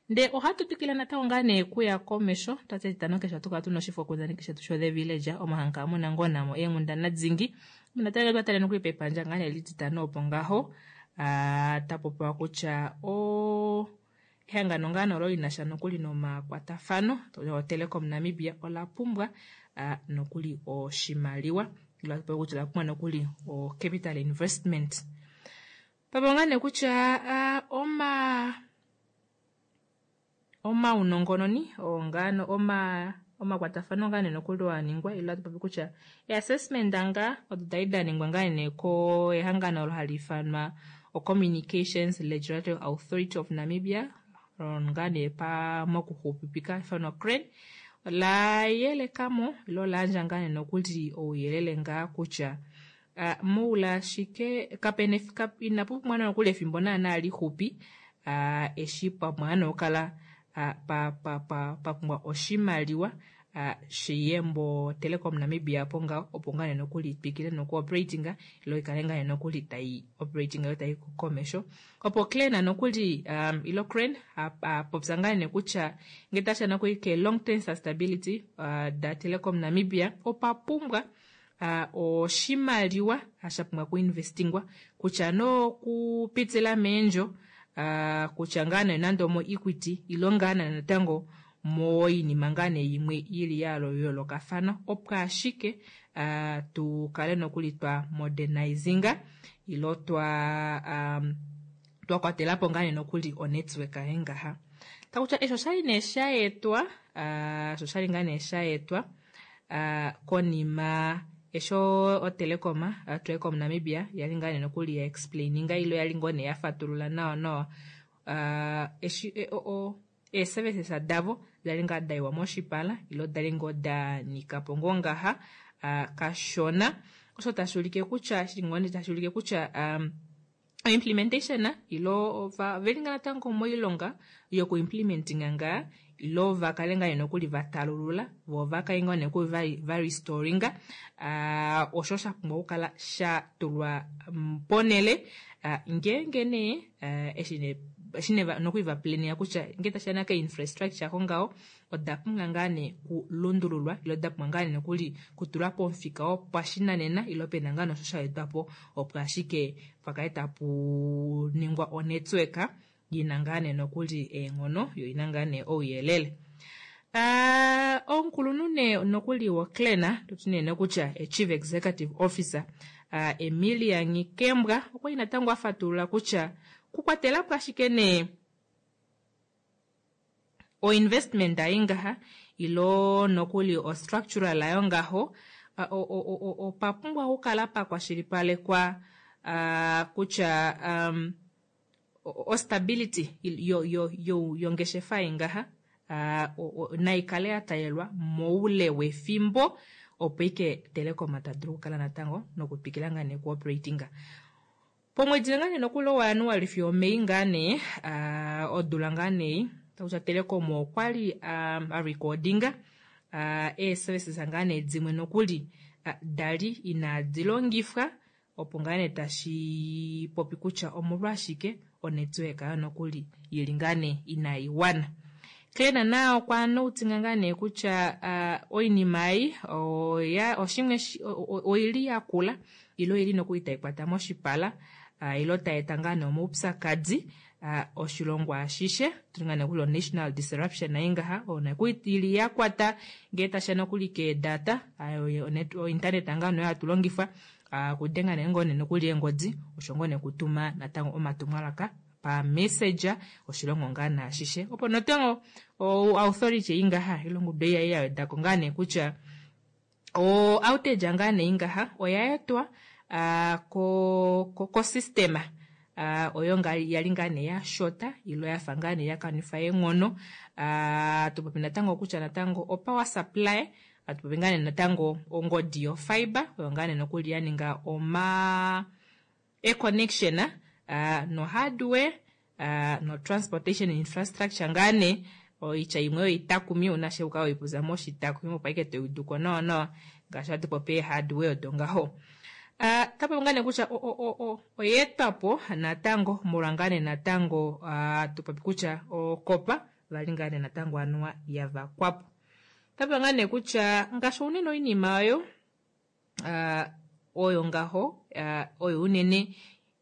nde ohatu twikile natango ngaa nee kuya komesho twati etitano keshe ohatu kala tuna oshifokundaneki shetu sho The Village omo hamu kala muna ngoo namo eenghundana dingi natango twatale nokuli pepandja ngaa nee lititano opo ngaho ah, tapopiwa kutya o ehangano ngaa nolo linasha nokuli nomakwatafano oTelecom Namibia ola pumbwa ah, nokuli oshimaliwa ilo hatu popi kutya ola pumbwa nokuli o capital investment papo ngaa nee kutya ah, oma omaunongononi ongano oma omakwatafano ngaa nee nokuli waningwa ilo hatu popi kutya e-assessment ngaa odo dali daningwa ngaa nee ko ehangano olo hali ifanwa o Communications Regulatory Authority of Namibia ngaa nee pa mokuxupipika ifanwa CRAN la yelekamo ilo layandja ngaa nee nokuli ouyelele ngaa kutya uh, moule ashike kapena kap, inapu pumbwa nokuli efimbo naana lixupi uh, eshi pamwe nokukala uh, pa, pa, pa, pa pumbwa oshimaliwa uh, shiyembo Telecom Namibia apo ngaho opo ngaa nee nokuli twikile noku operatinga ilo ikale ngaa nee nokuli tai operatinga yo tai komesho opo CRAN nokuli um, ilo CRAN apopya ngaa nee kutya ngee tashiya nokuli ke long term sustainability uh, da Telecom Namibia opa pumbwa uh, oshimaliwa sha pumbwa kuinvestingwa kutya nokupitila meendjo uh, kutya ngaa nee nande omo equity ilo ngaa nee natango moinima ngaa nee yimwe ili ya yoolokafana opo ashike uh, tukale nokuli twa modernizinga ilo twa um, twa kwatelapo ngaa nee nokuli onetwork yengaha takutya esho oshali nee shaetwa uh, osho oshali ngaa nee shaetwa uh, konima esho oTelecom uh, Telecom Namibia yali ngaa nee nokuli ya explaininga ilo yali ngoo nee yafatulula nawa nawa uh, eshi e, o, o, Eeservices davo dali ngaa daiwa moshipala ilo dali ngoo da nikapo ngoo ngaha uh, kashona osho tashuulike kutya shili tashuulike kutya um, implementation ilo ova veli ngaa natango moilonga yoku implementinga ngaa ilo vakale ngaa nokuli vatalulula vo vakale ngaa nokuli va restoringa uh, osho shapumbwa okukala shatulwa ponele uh, ngeenge nee uh, eshi nee eshi nee nokuli vaplania kutya ngee tashiya ka infrastructure ko oda pumbwa ngaa nee kulundululwa ilo da pumbwa ngaa nee nokuli kutulwa pomufika wopashinanena ilo pena ngaa nosho shaetwapo opo ashike pakale tapu ningwa onetwork yina ngaa nee nokuli eenghono yo ina ngaa nee ouyelele. Uh, omukulunhu nee nokuli woClan totu nee kutya chief executive officer uh, Emilia Nghikembwa okwali natango afatulula kutya kukwatelapo ashike nee oinvestment ayi ngaha ilo nokuli ostructural ayo ngaho opapumbwa okukala pakwashilipalekwa uh, kutya um, ostability yo, yo, yo, yongeshefa ingaha uh, naikale ya moule wefimbo opo ike Telecom ta dulu okukala natango nokutwikila ngaa nee kuoperatinga. Pomwedi ngaa nee nokuli waJanuali fiyo oMei ngaa nee uh, odula ngaa nee takutya Telecom okwali uh, a recordinga uh, eeservices ngaa nee dimwe nokuli uh, dali inaadi longifwa opo ngaa nee tashi popi kutya omolwashike onetwork ayo nokuli yili ngaa nee inayi wana. Kleena na okwa noutinga ngaa nee kutya uh, oinima ei oya oshimwe oili yakula ilo ili nokuli tai kwata moshipala uh, ilo tai eta ngaa nee omaupyakadi uh, oshilongo ashishe tuli ngaa nee kuli national disruption ai ngaha oyo nokuli ili yakwata ngee tashiya nokuli keedata uh, ointernet ngaa nee hatu longifa uh, kudenga nee ngoo nee nokuli eengodi osho ngoo nee kutuma natango omatumwalaka pa messenger oshilongo ngaa naashishe opo natango authority ingaha ilongudu ei yawedako ngaa nee kutya o outage ngaa nee ingaha oya etwa uh, ko, ko, ko system uh, oyo nga yali ngaa nee yashota ilo yafa ngaa nee yakanifa eenghono uh, tupopi natango kutya natango o power supply atupopi ngaa nee natango ongodi yo fiber oyo ngaa nee nokuli yaninga oma e-connection uh, no hardware uh, no transportation infrastructure ngaa nee oitya imwe oyo itakumi una sheuka oipuza moshitakumi opo aike toiuduko nawa nawa ngaashi hatu popi hardware odo ngaho. Uh, tapopi ngaa nee kutya oyeetwapo natango molwa ngaa nee natango uh, tupopi kutya okopa vali ngaa nee natango anuwa yavakwapo. Tapopi ngaa nee kutya ngaashi unene oinima oyo uh, oyo ngaho uh, oyo unene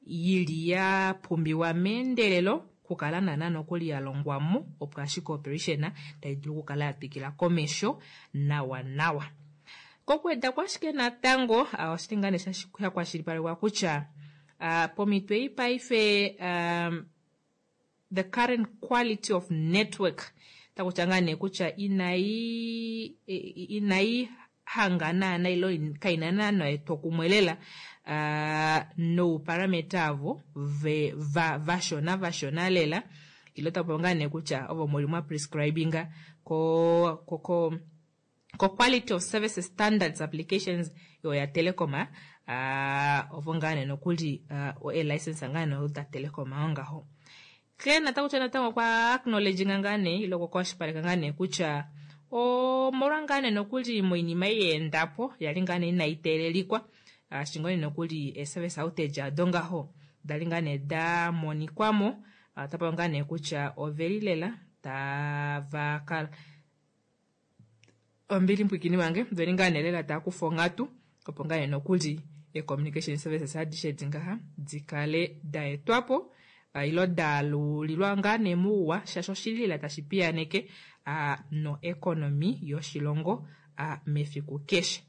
yili ya pumbiwa meendelelo kukala naana nokuli ya longwamo opo ashike operation tayi dulu okukala ya twikila komesho nawa nawa. Kokuweda kwashike natango uh, oshili ngaa nee shakwashilipalekwa kutya uh, pomhito ei paife um, the current quality of network takutya ngaa nee kutya inayi inayi hanga naana ilo kaina naana etwokumwe lela uh, nouparameter avo ve, va, vashona vashona lela ilo tapopi ngaa nee kutya ovo muli mwa prescribinga ko, ko, ko ko quality of service standards applications yo ya Telecom uh, ovo ngaa nee nokuli uh, e-license ngaa nee da Telecom ongaho. Kleena takutya natango kwa acknowledginga ngaa nee ilo kwakwashilipaleka ngaa nee kutya omolwa ngaa nee nokuli moinima ei yeendapo yali ngaa nee inayi teelelikwa shingone nokuli e-service outage ado ngaho dali ngaa nee da monikwamo tapopi ngaa nee kutya oveli lela tava kala ombili mpwikini wange veli ngaa nee lela taakufa onghatu opo ngaa nee nokuli e-communication services adishe edi ngaha dikale da etwapo uh, ilo daalulilwa ngaa nee muuwa shaashi oshili lela tashi piyaneke uh, no economy yoshilongo uh, mefiku keshe.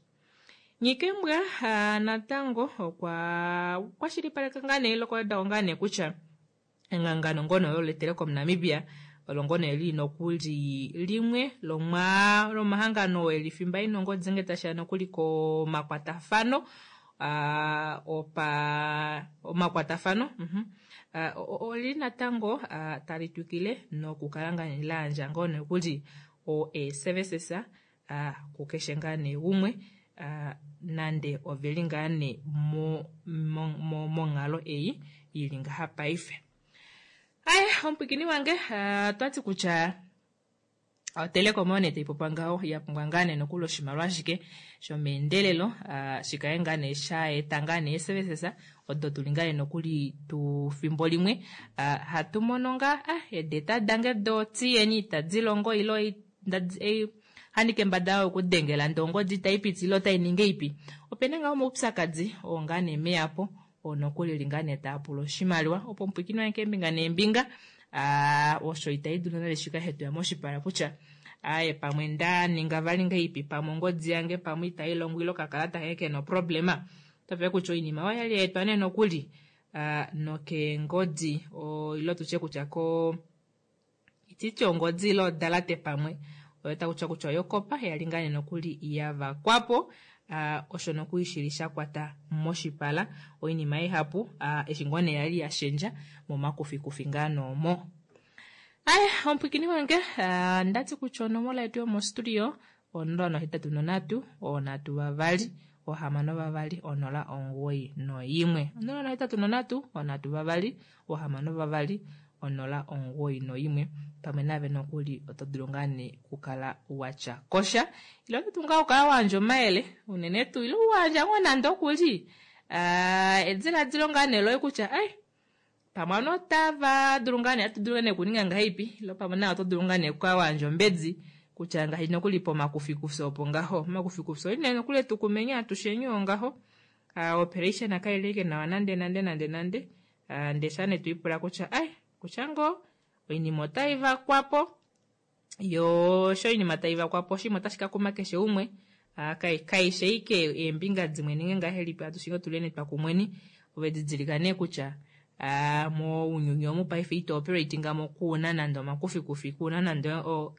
Nghikembwa uh, natango okwa kwashilipaleka ngaa nee ilo kwawedako ngaa nee kutya ehangano ngono loTelecom Namibia olo ngono eli nokuli limwe lomwa lomahangano eli fimba ina ongodi nge tashiya nokuli komakwatafano uh, opa omakwatafano uh -huh. Uh, olili natango uh, tali twikile nokukala ngaa nee layandja ngoo nokuli o e-services uh, kukeshe ngaa nee umwe uh, nande oveli ngaa nee monghalo ei ili ngaha paife. Aye, omupwikini wange uh, twati kutya oTelecom oyo nee taipopiwa ngaho yapumbwa ngaa nee nokuli oshimaliwa ashike shomeendelelo uh, shikaye ngaa nee shaeta ngaa nee services odo tuli ngaa nee nokuli tufimbo limwe uh, hatu mono ngaa ah, edeta dange do tiyeni itadi longo ilo hani kembada yayo okudengela ndee ongodi itaipiti ilo otainingi ipi. Opena ngaa omaupyakadi oo ngaa nee meyapo oo nokuli li ngaa nee taapula oshimaliwa opo omupwikini wange keembinga neembinga uh, osho itaidulu nale shika hetuya moshipala kutya aye pamwe ndaninga vali ngaipi pamwe ongodi yange pamwe itailongo ilo okakalata kange kena oproblema. Otave kutya oinima oyali yaetwa nee nokuli uh, nokeengodi ilo tutye kutya ko ititi ongodi ilo odalate pamwe oyo takutya kutya oyokopa yali ngaa nee nokuli yavakwapo uh, osho nokuli shili shakwata moshipala oinima ihapu uh, eshi ngoo nee yali yashendja momakufikufi ngaa noomo. Aye, omupwikini wange uh, ndati kutya onomola yetu yomostudio onola nohetatu nonhatu onhatu vavali ohamano vavali onola omugoyi noimwe onola nohetatu nonhatu onhatu vavali ohamano vavali onola omugoyi noimwe. Pamwe nave nokuli oto dulu ngaa nee okukala watya kosha ile oto dulu ngaa okukala wayandja omayele unene tuu ile wayandja ngoo nande okuli uh, ediladilo ngaa nee loye kutya ai pamwe ano otava dulu ngaa nee atu dulu nee okuninga ngahelipi ilo pamwe naye oto dulu ngaa nee okukala wayandja ombedi kutya ngaashi nokuli pomakufikufi opo ngaho omakufikufi oli nee nokuli etukumenya atusheni oo ngaho uh, operation kaileke nawa nande nande nande nande uh, ndee sha nee twiipula kutya ai kutya ngoo oinima otai vakwapo yo sho oinima tai vakwapo oshima otashi ka kuma keshe umwe uh, kaishe ike eembinga dimwe ninge ngahelipi atushinge otuleni twakumweni ove didilika nee kutya uh, mounyuni omu paife ito operatinga mo kuuna nande omakufikufi kuuna nande o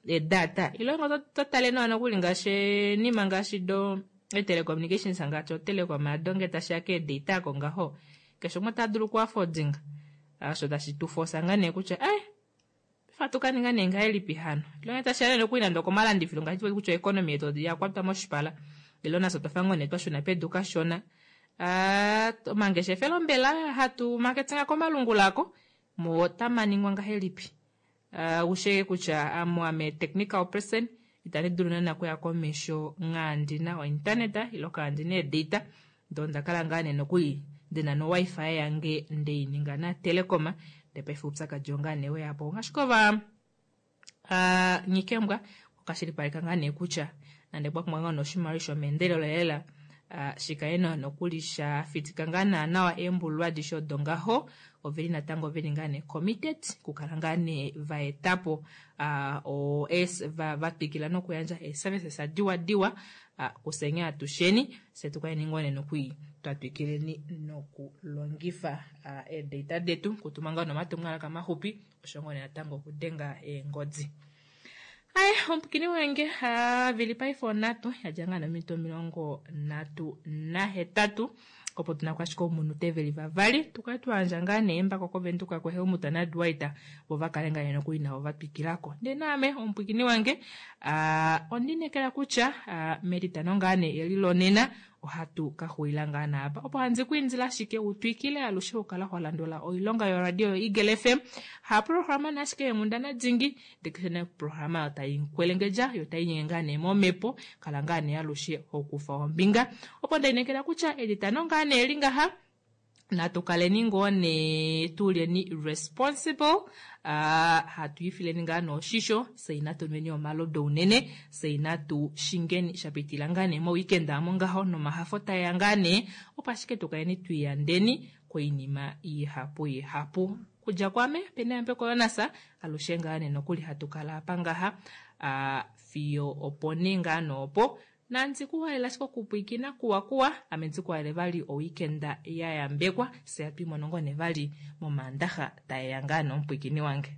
edata ilo ngo totale nawa nokuli ngaashi nima ngaashi do telecommunications ngaashi otelecom adonge tashiya keedata ako ngaho keshe umwe ota dulu okuafodinga osho tashi tufosa ngaa nee kutya eh fatukaninga nee ngahelipi hano ilo tashiya nokuli nande okomalandifilo ngaashi kutya economy yetu yakwatwa moshipala ilo nafye otwafa ngoo nee twashuna pedu kashona uh, omangeshefelo mbela hatu maketinga komalungula ako mo otamaningwa ngahelipi uh, usheke kutya amo ame technical person itandi dulu naana okuya komesho ngandina ointernet ilo kandina edata ndo ndakala ngaa nee nokuli ndina no wifi yange ndeininga na Telecom ndee paife oupyakadi ongaa nee weyapo ngaashi kova uh, nyikembwa okashilipaleka ngaa nee kutya nande kwapumbwa ngaa noshimaliwa shomeendelelo lela uh, shikaye nokuli shafitika ngaa naa nawa eembululu adishe odo ngaho oveli natango veli ngaa nee committed kukala ngaa nee vaetapo uh, o es va vatwikila nokuyandja eeservices diwa diwa uh, kusenya atusheni fye tukaleni ngoo nee nokuli twatwikileni nokulongifa uh, eedata detu kutuma ngaa nomatumwalaka maxupi osho ngoo nee natango okudenga eengodi. Aye, omupwikini wange vili paife onhatu yadja ngaa nominute omilongo nhatu nahetatu opo tuna ashike omunute veli vavali tukale twayandja ngaa nee embako kovenduka kuHelmut naDwight vo vakale ngaa nee nokuli navo vatwikilako. Ndee naame omupwikini wange uh, ondinekela kutya uh, metitano ngaa nee eli lonena ohatu kaxuulila ngaa naapa opo handi kwiindila ashike utwikile alushe okukala holandula oilonga yoradio yo Eagle F M haprograma naashike yeenghundana dingi ndee keshe programa oyo tai nkwelengedja yo tai nyenge ngaa nee momhepo kala ngaa nee alushe hokufa ombinga opo ndainekela kutya etitano ngaa nee eli ngaha natu kaleni ngoo nee tulyeni responsible uh, hatu ifileni ngaa noshisho fye inatu nweni omalodu unene fye inatu shingeni shapitila ngaa nee moweekend amo ngaho nomahafo taeya ngaa nee opo ashike tukaleni twiyandeni koinima ihapu ihapu. Kudja kwame pena yambeko yonasa alushe ngaa nee nokuli hatu kala apa ngaha uh, fiyo opo nee ngaa noopo nandi kuhalela ashike okupwikina kuwa kuwa ame ndikuhalele vali oweekend ya yambekwa fye atu imono ngoo nee vali momaandaxa taeya ngaa nomupwikini wange.